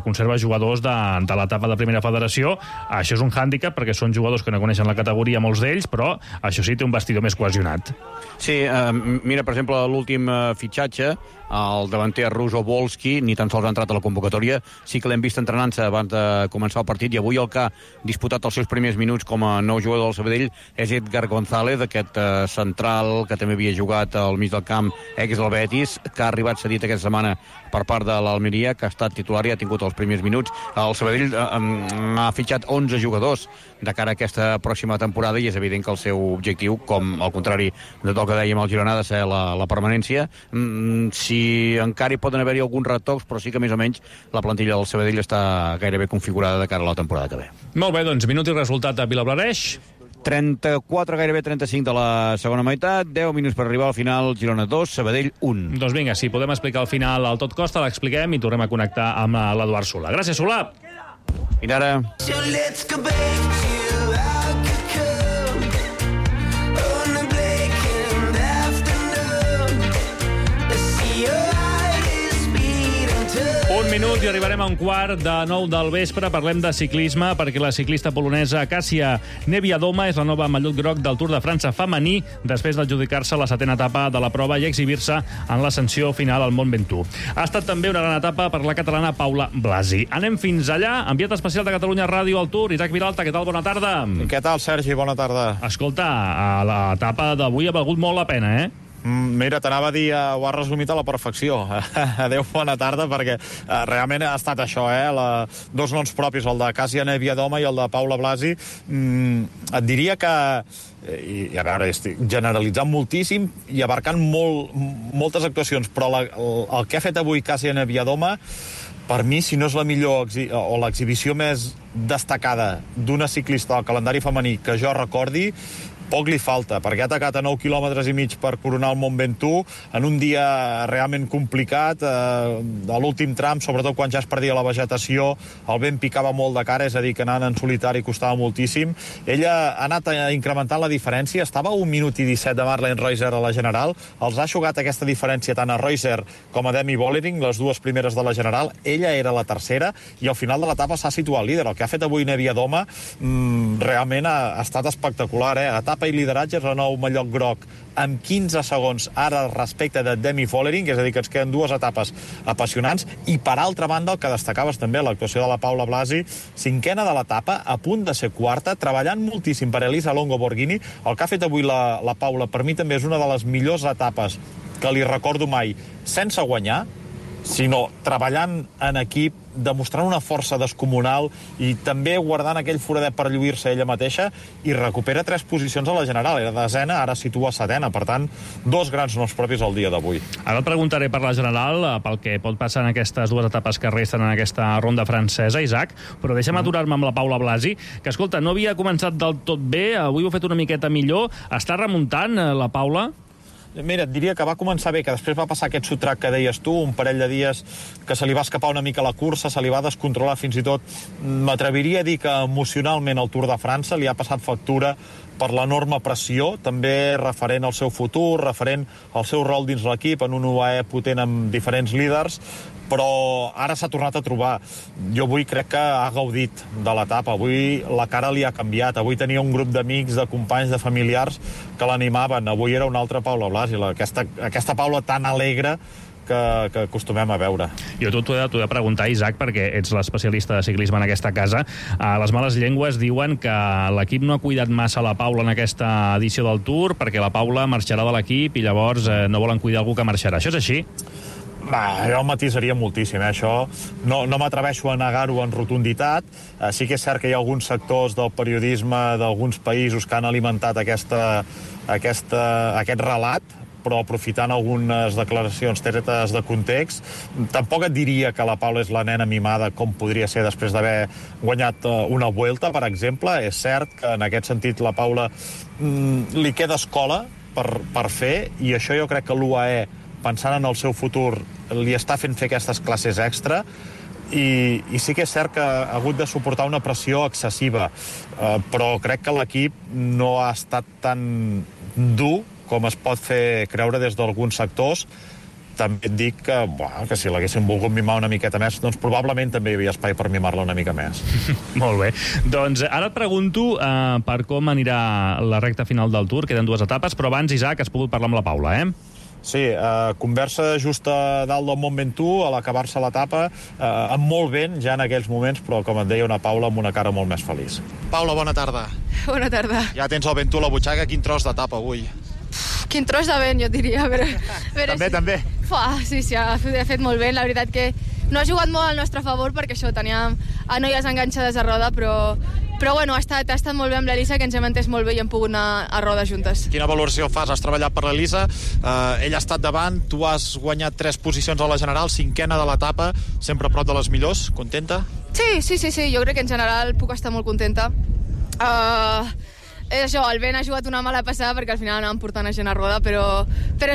conserva jugadors de l'etapa de primera federació. Això és un hàndicap handicap, perquè són jugadors que no coneixen la categoria, molts d'ells, però això sí, té un vestidor més cohesionat. Sí, mira, per exemple, l'últim fitxatge, el davanter Ruso Volski, ni tan sols ha entrat a la convocatòria, sí que l'hem vist entrenant-se abans de començar el partit, i avui el que ha disputat els seus primers minuts com a nou jugador del Sabadell és Edgar González, aquest central que també havia jugat al mig del camp, ex del Betis, que ha arribat cedit aquesta setmana per part de l'Almeria, que ha estat titular i ha tingut els primers minuts. El Sabadell ha fitxat 11 jugadors de cara a aquesta pròxima temporada, i és evident que el seu objectiu, com al contrari de tot el que dèiem al Girona, ha de ser la permanència. Si encara hi poden haver-hi alguns retocs, però sí que més o menys la plantilla del Sabadell està gairebé configurada de cara a la temporada que ve. Molt bé, doncs minut i resultat a Vilablareix. 34, gairebé 35 de la segona meitat, 10 minuts per arribar al final, Girona 2, Sabadell 1. Doncs vinga, si podem explicar al final al Tot Costa, l'expliquem i tornem a connectar amb l'Eduard Solà. Gràcies, Solà. Fins ara. Un minut i arribarem a un quart de 9 del vespre. Parlem de ciclisme, perquè la ciclista polonesa Kasia Niewiadoma és la nova mallot groc del Tour de França femení, després d'adjudicar-se la 7a etapa de la prova i exhibir-se en l'ascensió final al Mont Ventoux. Ha estat també una gran etapa per la catalana Paula Blasi. Anem fins allà. Enviat especial de Catalunya Ràdio al Tour, Isaac Vilalta, què tal? Bona tarda. Què tal, Sergi? Bona tarda. Escolta, l'etapa d'avui ha valgut molt la pena, eh? Mira, t'anava a dir, ho has resumit a la perfecció. Adéu, bona tarda, perquè realment ha estat això, dos noms propis, el de Kasia Niewiadoma i el de Paula Blasi. Et diria que, i a veure, estic generalitzant moltíssim i abarcant moltes actuacions, però el que ha fet avui Kasia Niewiadoma, per mi, si no és la millor o l'exhibició més destacada d'una ciclista del calendari femení que jo recordi, poc li falta, perquè ha atacat a 9 quilòmetres i mig per coronar el Mont Ventoux en un dia realment complicat, a l'últim tram, sobretot quan ja es perdia la vegetació, el vent picava molt de cara, és a dir, que anant en solitari costava moltíssim. Ella ha anat incrementant la diferència, estava a 1 minut i 17 de Marlene Reusser a la general, els ha jugat aquesta diferència tant a Reusser com a Demi Vollering, les dues primeres de la general, ella era la tercera, i al final de l'etapa s'ha situat líder. El que ha fet avui Niewiadoma realment ha estat espectacular, etapa i lideratge, és el nou mallot groc amb 15 segons ara respecte de Demi Vollering, és a dir, que ens queden dues etapes apassionants, i per altra banda el que destacaves també, l'actuació de la Paula Blasi, cinquena de l'etapa, a punt de ser quarta, treballant moltíssim per Elisa Longo Borghini. El que ha fet avui la Paula, per mi també és una de les millors etapes que li recordo mai, sense guanyar, sinó treballant en equip, demostrant una força descomunal i també guardant aquell foradet per lluir-se ella mateixa, i recupera 3 posicions a la general. Era desena, ara situa setena. Per tant, 2 grans noms propis al dia d'avui. Ara et preguntaré per la general, pel que pot passar en aquestes 2 etapes que resten en aquesta ronda francesa, Isaac, però deixa'm aturar-me amb la Paula Blasi, que, escolta, no havia començat del tot bé, avui ho ha fet una miqueta millor. Està remuntant, la Paula? Mira, et diria que va començar bé, que després va passar aquest sotrac que deies tu, un parell de dies que se li va escapar una mica la cursa, se li va descontrolar fins i tot. M'atreviria a dir que emocionalment el Tour de França li ha passat factura per l'enorme pressió, també referent al seu futur, referent al seu rol dins l'equip, en un UAE potent amb diferents líders, però ara s'ha tornat a trobar. Jo avui crec que ha gaudit de l'etapa, avui la cara li ha canviat, avui tenia un grup d'amics, de companys, de familiars que l'animaven, avui era una altra Paula Blasi, aquesta Paula tan alegre que acostumem a veure. Jo t'ho he de preguntar, Isaac, perquè ets l'especialista de ciclisme en aquesta casa. Les males llengües diuen que l'equip no ha cuidat massa la Paula en aquesta edició del Tour, perquè la Paula marxarà de l'equip i llavors no volen cuidar algú que marxarà. Això és així? Jo el matisaria moltíssim, això. No m'atreveixo a negar-ho en rotunditat. Sí que és cert que hi ha alguns sectors del periodisme d'alguns països que han alimentat aquest relat, però aprofitant algunes declaracions tretes de context. Tampoc et diria que la Paula és la nena mimada com podria ser després d'haver guanyat una Vuelta, per exemple. És cert que en aquest sentit la Paula li queda escola per fer, i això jo crec que l'UAE, pensant en el seu futur, li està fent fer aquestes classes extra, i sí que és cert que ha hagut de suportar una pressió excessiva, però crec que l'equip no ha estat tan dur com es pot fer creure des d'alguns sectors, també et dic que si l'haguessin volgut mimar una miqueta més, doncs probablement també hi havia espai per mimar-la una mica més. Molt bé. Doncs ara et pregunto per com anirà la recta final del Tour. Queden 2 etapes, però abans, Isaac, has pogut parlar amb la Paula, Sí, conversa just a dalt del Mont Ventoux, a l'acabar-se l'etapa, amb molt vent ja en aquells moments, però com et deia, una Paula amb una cara molt més feliç. Paula, bona tarda. Bona tarda. Ja tens el Ventoux a la butxaca, quin tros d'etapa avui? Quin tros de vent, jo diria. També. Sí, ha fet molt vent. La veritat que no ha jugat molt al nostre favor perquè això, teníem a noies enganxades a roda, però bueno, ha estat molt bé amb l'Elisa, que ens hem entès molt bé i hem pogut anar a roda juntes. Quina valoració fas? Has treballat per l'Elisa, ella ha estat davant, tu has guanyat 3 posicions a la general, 5ª de l'etapa, sempre a prop de les millors. Contenta? Sí, jo crec que en general puc estar molt contenta. És això, el vent ha jugat una mala passada perquè al final anàvem portant a gent a roda, però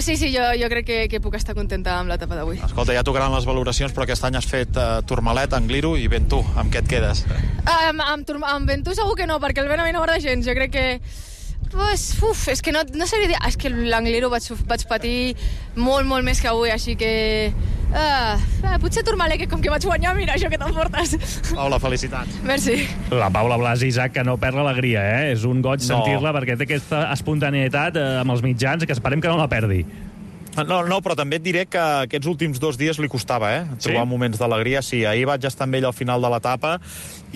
sí, jo crec que puc estar contenta amb l'etapa d'avui. Escolta, ja tocaran les valoracions, però aquest any has fet Tourmalet, Angliru i Ventoux. Amb què et quedes? Amb Ventoux segur que no, perquè el vent a mi no m'agrada gens. Jo crec que... és que no sabria dir... És que l'Angliru vaig patir molt més que avui, així que... potser Tourmalet, que com que vaig guanyar, mira això que t'emportes. Paula, felicitats. Merci. La Paula Blasi, Isaac, que no perd l'alegria, És un goig sentir-la, perquè té aquesta espontaneïtat amb els mitjans, que esperem que no la perdi. No, però també et diré que aquests últims 2 dies li costava, trobar moments d'alegria. Sí, ahir vaig estar amb ell al final de l'etapa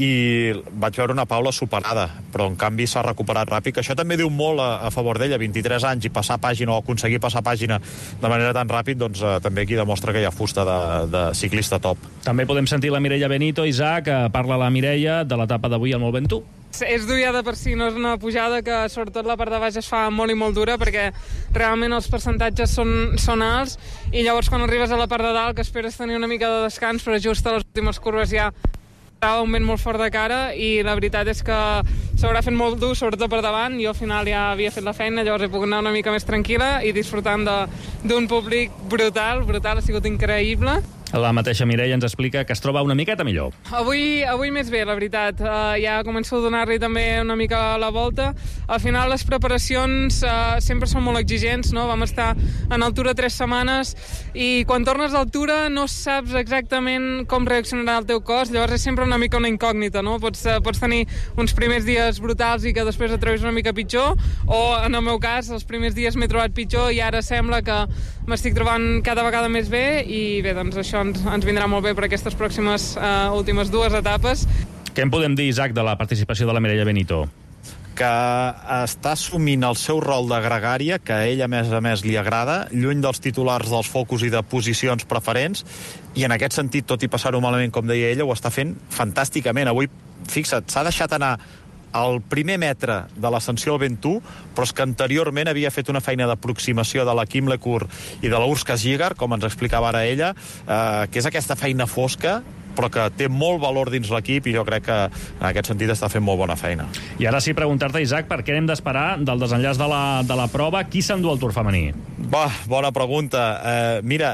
i vaig veure una Paula superada, però en canvi s'ha recuperat ràpid, que això també diu molt a favor d'ella, 23 anys i passar pàgina o aconseguir passar pàgina de manera tan ràpid, doncs també aquí demostra que hi ha fusta de ciclista top. També podem sentir la Mireia Benito, Isaac, parla la Mireia de l'etapa d'avui al Mont Ventoux. És dur ja de per si, no és una pujada que sobretot la part de baix es fa molt i molt dura perquè realment els percentatges són alts i llavors quan arribes a la part de dalt que esperes tenir una mica de descans però just a les últimes curves ja estava un vent molt fort de cara i la veritat és que s'haurà fet molt dur, sobretot per davant. Jo al final ja havia fet la feina, llavors he pogut anar una mica més tranquil·la i disfrutant d'un públic brutal, ha sigut increïble. La mateixa Mireia ens explica que es troba una miqueta millor. Avui més bé, la veritat. Ja començo a donar-li també una mica la volta. Al final les preparacions sempre són molt exigents, no? Vam estar en altura 3 setmanes i quan tornes d'altura no saps exactament com reaccionarà el teu cos, llavors és sempre una mica una incògnita, no? Pots tenir uns primers dies brutals i que després et trobis una mica pitjor, o en el meu cas, els primers dies m'he trobat pitjor i ara sembla que m'estic trobant cada vegada més bé i bé, doncs això ens vindrà molt bé per aquestes pròximes últimes 2 etapes. Què en podem dir, Isaac, de la participació de la Mireia Benito? Que està assumint el seu rol de gregària, que a ella, a més, li agrada, lluny dels titulars dels focus i de posicions preferents, i en aquest sentit, tot i passar-ho malament, com deia ella, ho està fent fantàsticament. Avui, fixa't, s'ha deixat anar al primer metre de l'ascensió al Ventoux, però és que anteriorment havia fet una feina d'aproximació de la Kim Lecourt i de la Urska Ziegler, com ens explicava ara ella, que és aquesta feina fosca, però que té molt valor dins l'equip i jo crec que en aquest sentit està fent molt bona feina. I ara sí, preguntar-te, Isaac, per què hem d'esperar del desenllaç de la prova? Qui s'endú el Tour femení? Bona pregunta. Mira,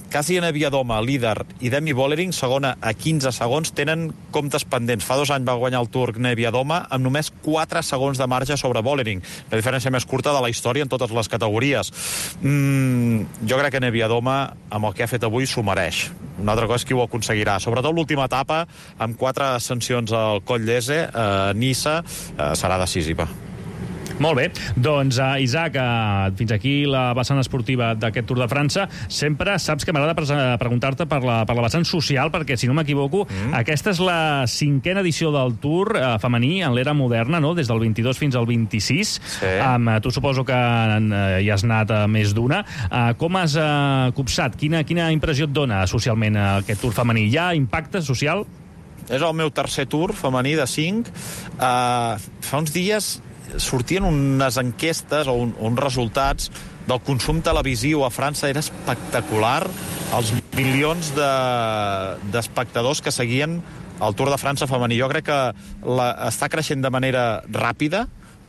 Kasia Neviadoma, líder, i Demi Vollering, segona a 15 segons, tenen comptes pendents. Fa 2 anys va guanyar el Tour Neviadoma amb només 4 segons de marge sobre Vollering. La diferència més curta de la història en totes les categories. Jo crec que Neviadoma, amb el que ha fet avui, s'ho mereix. Una altra cosa és qui ho aconseguirà. Sobretot l'última etapa, amb 4 ascensions al Coll d'Ese, Niça, serà decisiva. Molt bé, doncs Isaac, fins aquí la vessant esportiva d'aquest Tour de França. Sempre saps que m'agrada preguntar-te per la vessant social, perquè si no m'equivoco, aquesta és la 5a edició del Tour femení en l'era moderna, no? Des del 22 fins al 26. Sí. Tu suposo que hi has anat a més d'una. Com has copsat? Quina impressió et dona socialment aquest Tour femení? Hi ha impacte social? És el meu tercer Tour femení de 5. Fa uns dies sortien unes enquestes o uns resultats del consum televisiu a França. Era espectacular els milions d'espectadors que seguien el Tour de França femení. Jo crec que està creixent de manera ràpida,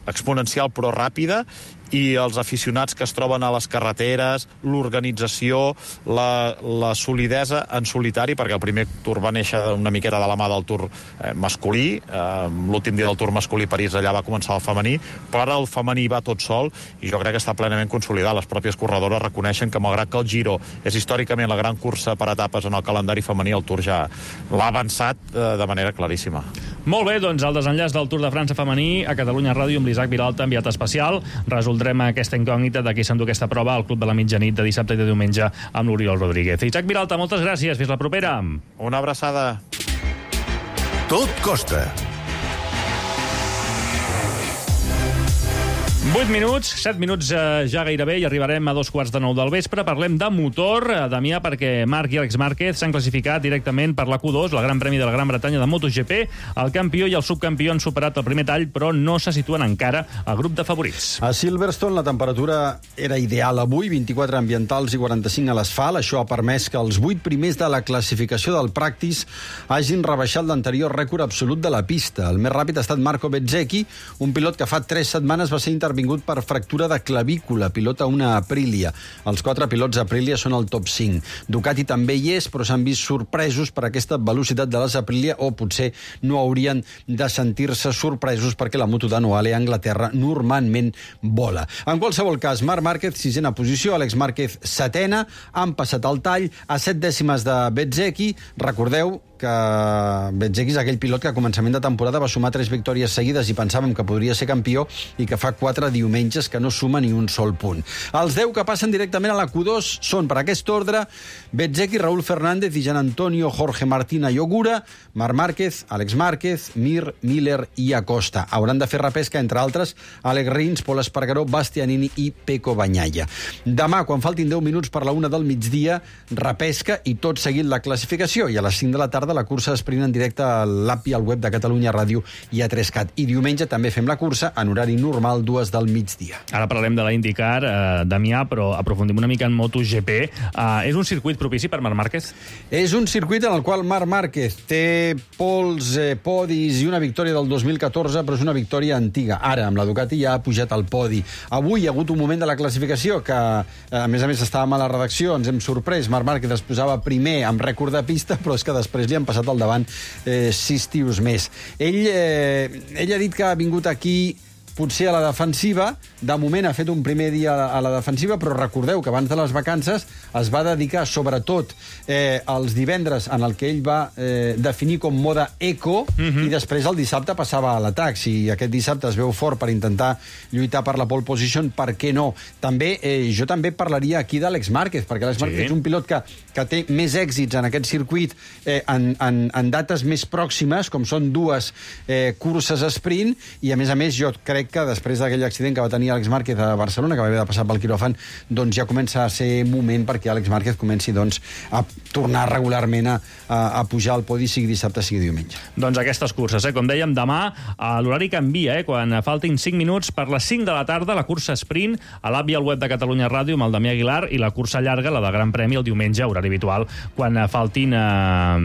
exponencial però ràpida, i els aficionats que es troben a les carreteres, l'organització, la solidesa en solitari, perquè el primer Tour va néixer una miqueta de la mà del Tour masculí, l'últim dia del Tour masculí París allà va començar el femení, però ara el femení va tot sol i jo crec que està plenament consolidat. Les pròpies corredores reconeixen que malgrat que el Giro és històricament la gran cursa per etapes en el calendari femení, el Tour ja l'ha avançat de manera claríssima. Molt bé, doncs el desenllaç del Tour de França femení a Catalunya Ràdio amb l'Isaac Vilalta, enviat especial. Resoldrem aquesta incògnita de qui s'endú aquesta prova al Club de la Mitjanit de dissabte i de diumenge amb l'Oriol Rodríguez. Isaac Vilalta, moltes gràcies. Fins la propera. Una abraçada. Tot costa. 8 minuts, 7 minuts ja gairebé i arribarem a 2:15 del vespre. Parlem de motor, Damià, perquè Marc i Àlex Márquez s'han classificat directament per la Q2, la Gran Premi de la Gran Bretanya de MotoGP. El campió i el subcampió han superat el primer tall, però no se situen encara al grup de favorits. A Silverstone la temperatura era ideal avui, 24 ambientals i 45 a l'asfalt. Això ha permès que els 8 primers de la classificació del Practice hagin rebaixat l'anterior rècord absolut de la pista. El més ràpid ha estat Marco Bezzecchi, un pilot que fa 3 setmanes va ser intervingut per fractura de clavícula, pilota una Aprilia. Els 4 pilots Aprilia són al top 5. Ducati també hi és, però s'han vist sorpresos per aquesta velocitat de les Aprilia, o potser no haurien de sentir-se sorpresos perquè la moto d'Anoale a Anglaterra normalment vola. En qualsevol cas, Marc Márquez, 6ena posició, Àlex Márquez, 7ena, han passat el tall a 7 dècimes de Bezzecchi. Recordeu que Bezzecchi és aquell pilot que a començament de temporada va sumar 3 victòries seguides i pensàvem que podria ser campió i que fa 4 diumenges que no suma ni un sol punt. Els 10 que passen directament a la Q2 són, per aquest ordre, Bezzecchi, Raúl Fernández i Gian Antonio, Jorge Martina i Ogura, Marc Márquez, Àlex Márquez, Mir, Miller i Acosta. Hauran de fer repesca, entre altres, Àlex Rins, Pol Espargaró, Bastianini i Pecco Bagnaia. Demà, quan faltin 10 minuts per la 1 del migdia, repesca i tot seguit la classificació, i a les 5 de la tarda la cursa sprint en directe a l'app i al web de Catalunya Ràdio i a 3CAT. I diumenge també fem la cursa en horari normal, 2 del migdia. Ara parlem de la IndyCar, Damià, però aprofundim una mica en MotoGP. És un circuit propici per Marc Márquez? És un circuit en el qual Marc Márquez té pols, podis i una victòria del 2014, però és una victòria antiga. Ara, amb la Ducati ja ha pujat al podi. Avui hi ha hagut un moment de la classificació que, a més, estàvem a la redacció, ens hem sorprès. Marc Márquez es posava primer amb rècord de pista, però és que després li han passat al davant 6 tios més. Ell ha dit que ha vingut aquí potser a la defensiva. De moment ha fet un primer dia a la defensiva, però recordeu que abans de les vacances es va dedicar sobretot els divendres en el que ell va definir com moda eco, i després el dissabte passava a l'atac. Si aquest dissabte es veu fort per intentar lluitar per la pole position, per què no? També, jo també parlaria aquí d'Àlex Márquez, perquè Àlex Márquez és un pilot que té més èxits en aquest circuit en dates més pròximes, com són 2 curses sprint, i a més jo crec que després d'aquell accident que va tenir Àlex Márquez a Barcelona, que va haver de passar pel quiròfan, doncs ja comença a ser moment perquè Àlex Márquez comenci a tornar regularment a pujar al podi, sigui dissabte, sigui diumenge. Doncs aquestes curses, com dèiem, demà l'horari canvia, quan faltin 5 minuts per les 5 de la tarda, la cursa sprint a l'app i al web de Catalunya Ràdio amb el Damià Aguilar, i la cursa llarga, la de Gran Premi, el diumenge, horari habitual, quan faltin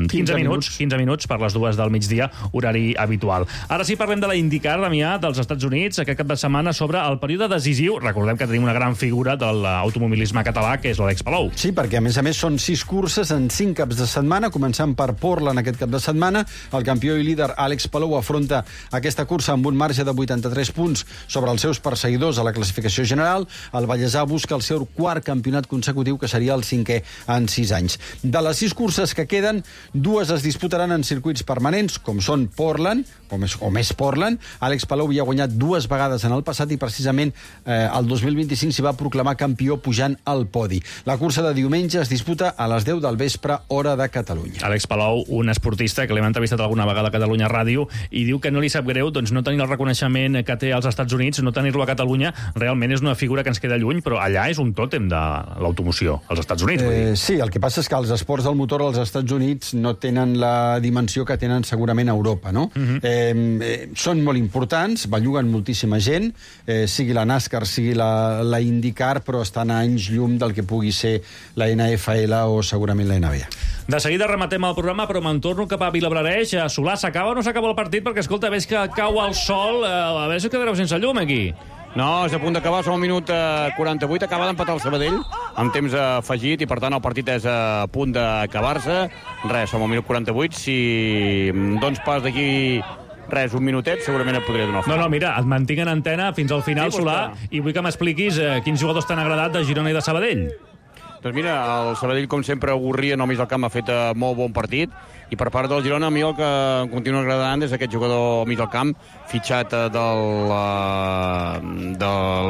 15 minuts per les 2 del migdia, horari habitual. Ara sí, parlem de la IndyCar, Damià, dels Estats Units, aquest cap de setmana sobre el període decisiu. Recordem que tenim una gran figura de l'automobilisme català, que és l'Àlex Palou. Sí, perquè a més són 6 curses en 5 caps de setmana, començant per Portland aquest cap de setmana. El campió i líder Àlex Palou afronta aquesta cursa amb un marge de 83 punts sobre els seus perseguidors a la classificació general. El vallesà busca el seu 4º campionat consecutiu, que seria el 5è en 6 anys. De les 6 curses que queden, 2 es disputaran en circuits permanents, com són Portland, o més Portland. Àlex Palou ja ha guanyat 2 vegades en el passat i precisament el 2025 s'hi va proclamar campió pujant al podi. La cursa de diumenge es disputa a les 10 del vespre, hora de Catalunya. Àlex Palou, un esportista que l'hem entrevistat alguna vegada a Catalunya Ràdio, i diu que no li sap greu no tenir el reconeixement que té als Estats Units, no tenir-lo a Catalunya. Realment és una figura que ens queda lluny, però allà és un tòtem de l'automoció, als Estats Units. Sí, el que passa és que els esports del motor als Estats Units no tenen la dimensió que tenen segurament a Europa, no? Són molt importants, belluguen moltíssima gent, sigui la NASCAR, sigui la IndyCar, però estan a anys llum del que pugui ser la NFL o segurament la NBA. De seguida rematem el programa, però me'n torno cap a Vilablareix. Solà, s'acaba o no s'acaba el partit? Perquè, escolta, veig que cau el sol. A veure si quedareu sense llum, aquí. No, és a punt d'acabar, som al minut 48, acaba d'empatar el Sabadell amb temps afegit i per tant el partit és a punt d'acabar-se. Res, som al minut 48, si dones pas d'aquí res, un minutet, segurament et podria donar. No, mira, et mantinc en antena fins al final, Sí, Solà, i vull que m'expliquis quins jugadors t'han agradat de Girona i de Sabadell. Doncs mira, el Sabadell, com sempre, Gurria, només al camp, ha fet molt bon partit, i per part del Girona, a mi el que em continua agradant és aquest jugador mig al camp, fitxat del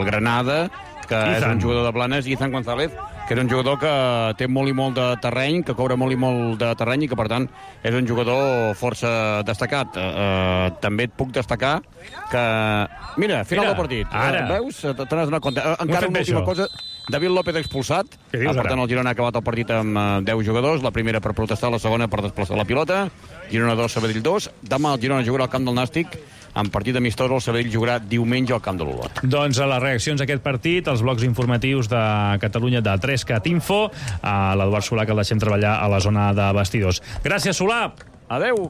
Granada, que és un jugador de Blanes, Izan González, que és un jugador que té molt i molt de terreny, que cobra molt i molt de terreny i que, per tant, és un jugador força destacat. També et puc destacar que... Mira, final del partit. Ara. Veus? Te n'has donat compte. Encara una última cosa. David López expulsat. Per tant, el Girona ha acabat el partit amb 10 jugadors. La primera per protestar, la segona per desplaçar la pilota. Girona 2, Sabadell 2. Demà el Girona jugarà al camp del Nàstic. En partit amistós, el Sabadell jugarà diumenge al camp de l'Olot. Doncs a les reaccions a aquest partit, els blocs informatius de Catalunya de 3CAT Info, a l'Eduard Solà, que el deixem treballar a la zona de vestidors. Gràcies, Solà! Adeu!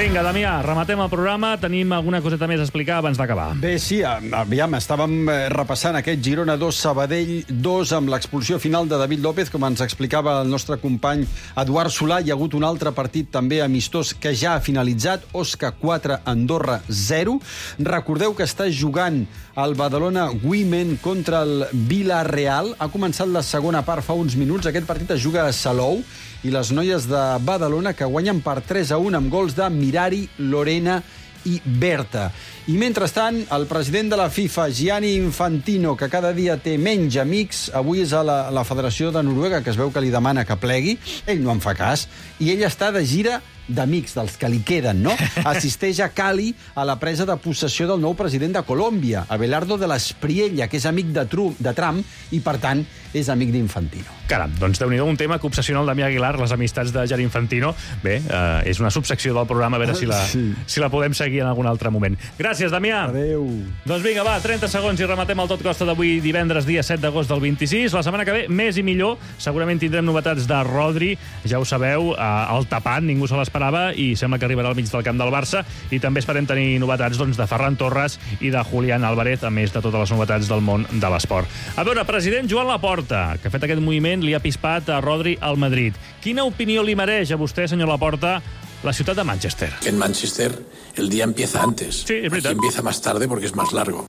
Vinga, Damià, rematem el programa. Tenim alguna coseta més a explicar abans d'acabar. Bé, sí, aviam, estàvem repassant aquest Girona 2, Sabadell 2, amb l'expulsió final de David López, com ens explicava el nostre company Eduard Solà. Hi ha hagut un altre partit també amistós que ja ha finalitzat, Osca 4, Andorra 0. Recordeu que està jugant el Badalona Women contra el Villarreal. Ha començat la segona part fa uns minuts. Aquest partit es juga a Salou i les noies de Badalona que guanyen per 3-1 amb gols de Mirari, Lorena i Berta. I mentrestant, el president de la FIFA, Gianni Infantino, que cada dia té menys amics, avui és a la Federació de Noruega, que es veu que li demana que plegui. Ell no en fa cas. I ell està de gira d'amics, dels que li queden, no? Assisteix a Cali a la presa de possessió del nou president de Colòmbia, Abelardo de l'Espriella, que és amic de Trump i, per tant, és amic d'Infantino. Caram, doncs déu-n'hi-do, un tema que obsessiona el Damià Aguilar, les amistats de Gianni Infantino. Bé, és una subsecció del programa, a veure si la podem seguir en algun altre moment. Gràcies, Damià. Adéu. Doncs vinga, va, 30 segons i rematem el Tot Costa d'avui, divendres, dia 7 d'agost del 26. La setmana que ve, més i millor. Segurament tindrem novetats de Rodri, ja ho sabeu, el tapat, ningú se l'esperava, i sembla que arribarà al mig del camp del Barça. I també esperem tenir novetats de Ferran Torres i de Julián Álvarez, a més de totes les novetats del món de l'esport. A veure, president Joan Laporta, que ha fet aquest moviment, li ha pispat a Rodri al Madrid. Quina opinió li mereix a vostè, senyor Laporta, la ciutat de Manchester? Que en Manchester el día empieza antes. Sí, es verdad. Aquí empieza más tarde porque es más largo.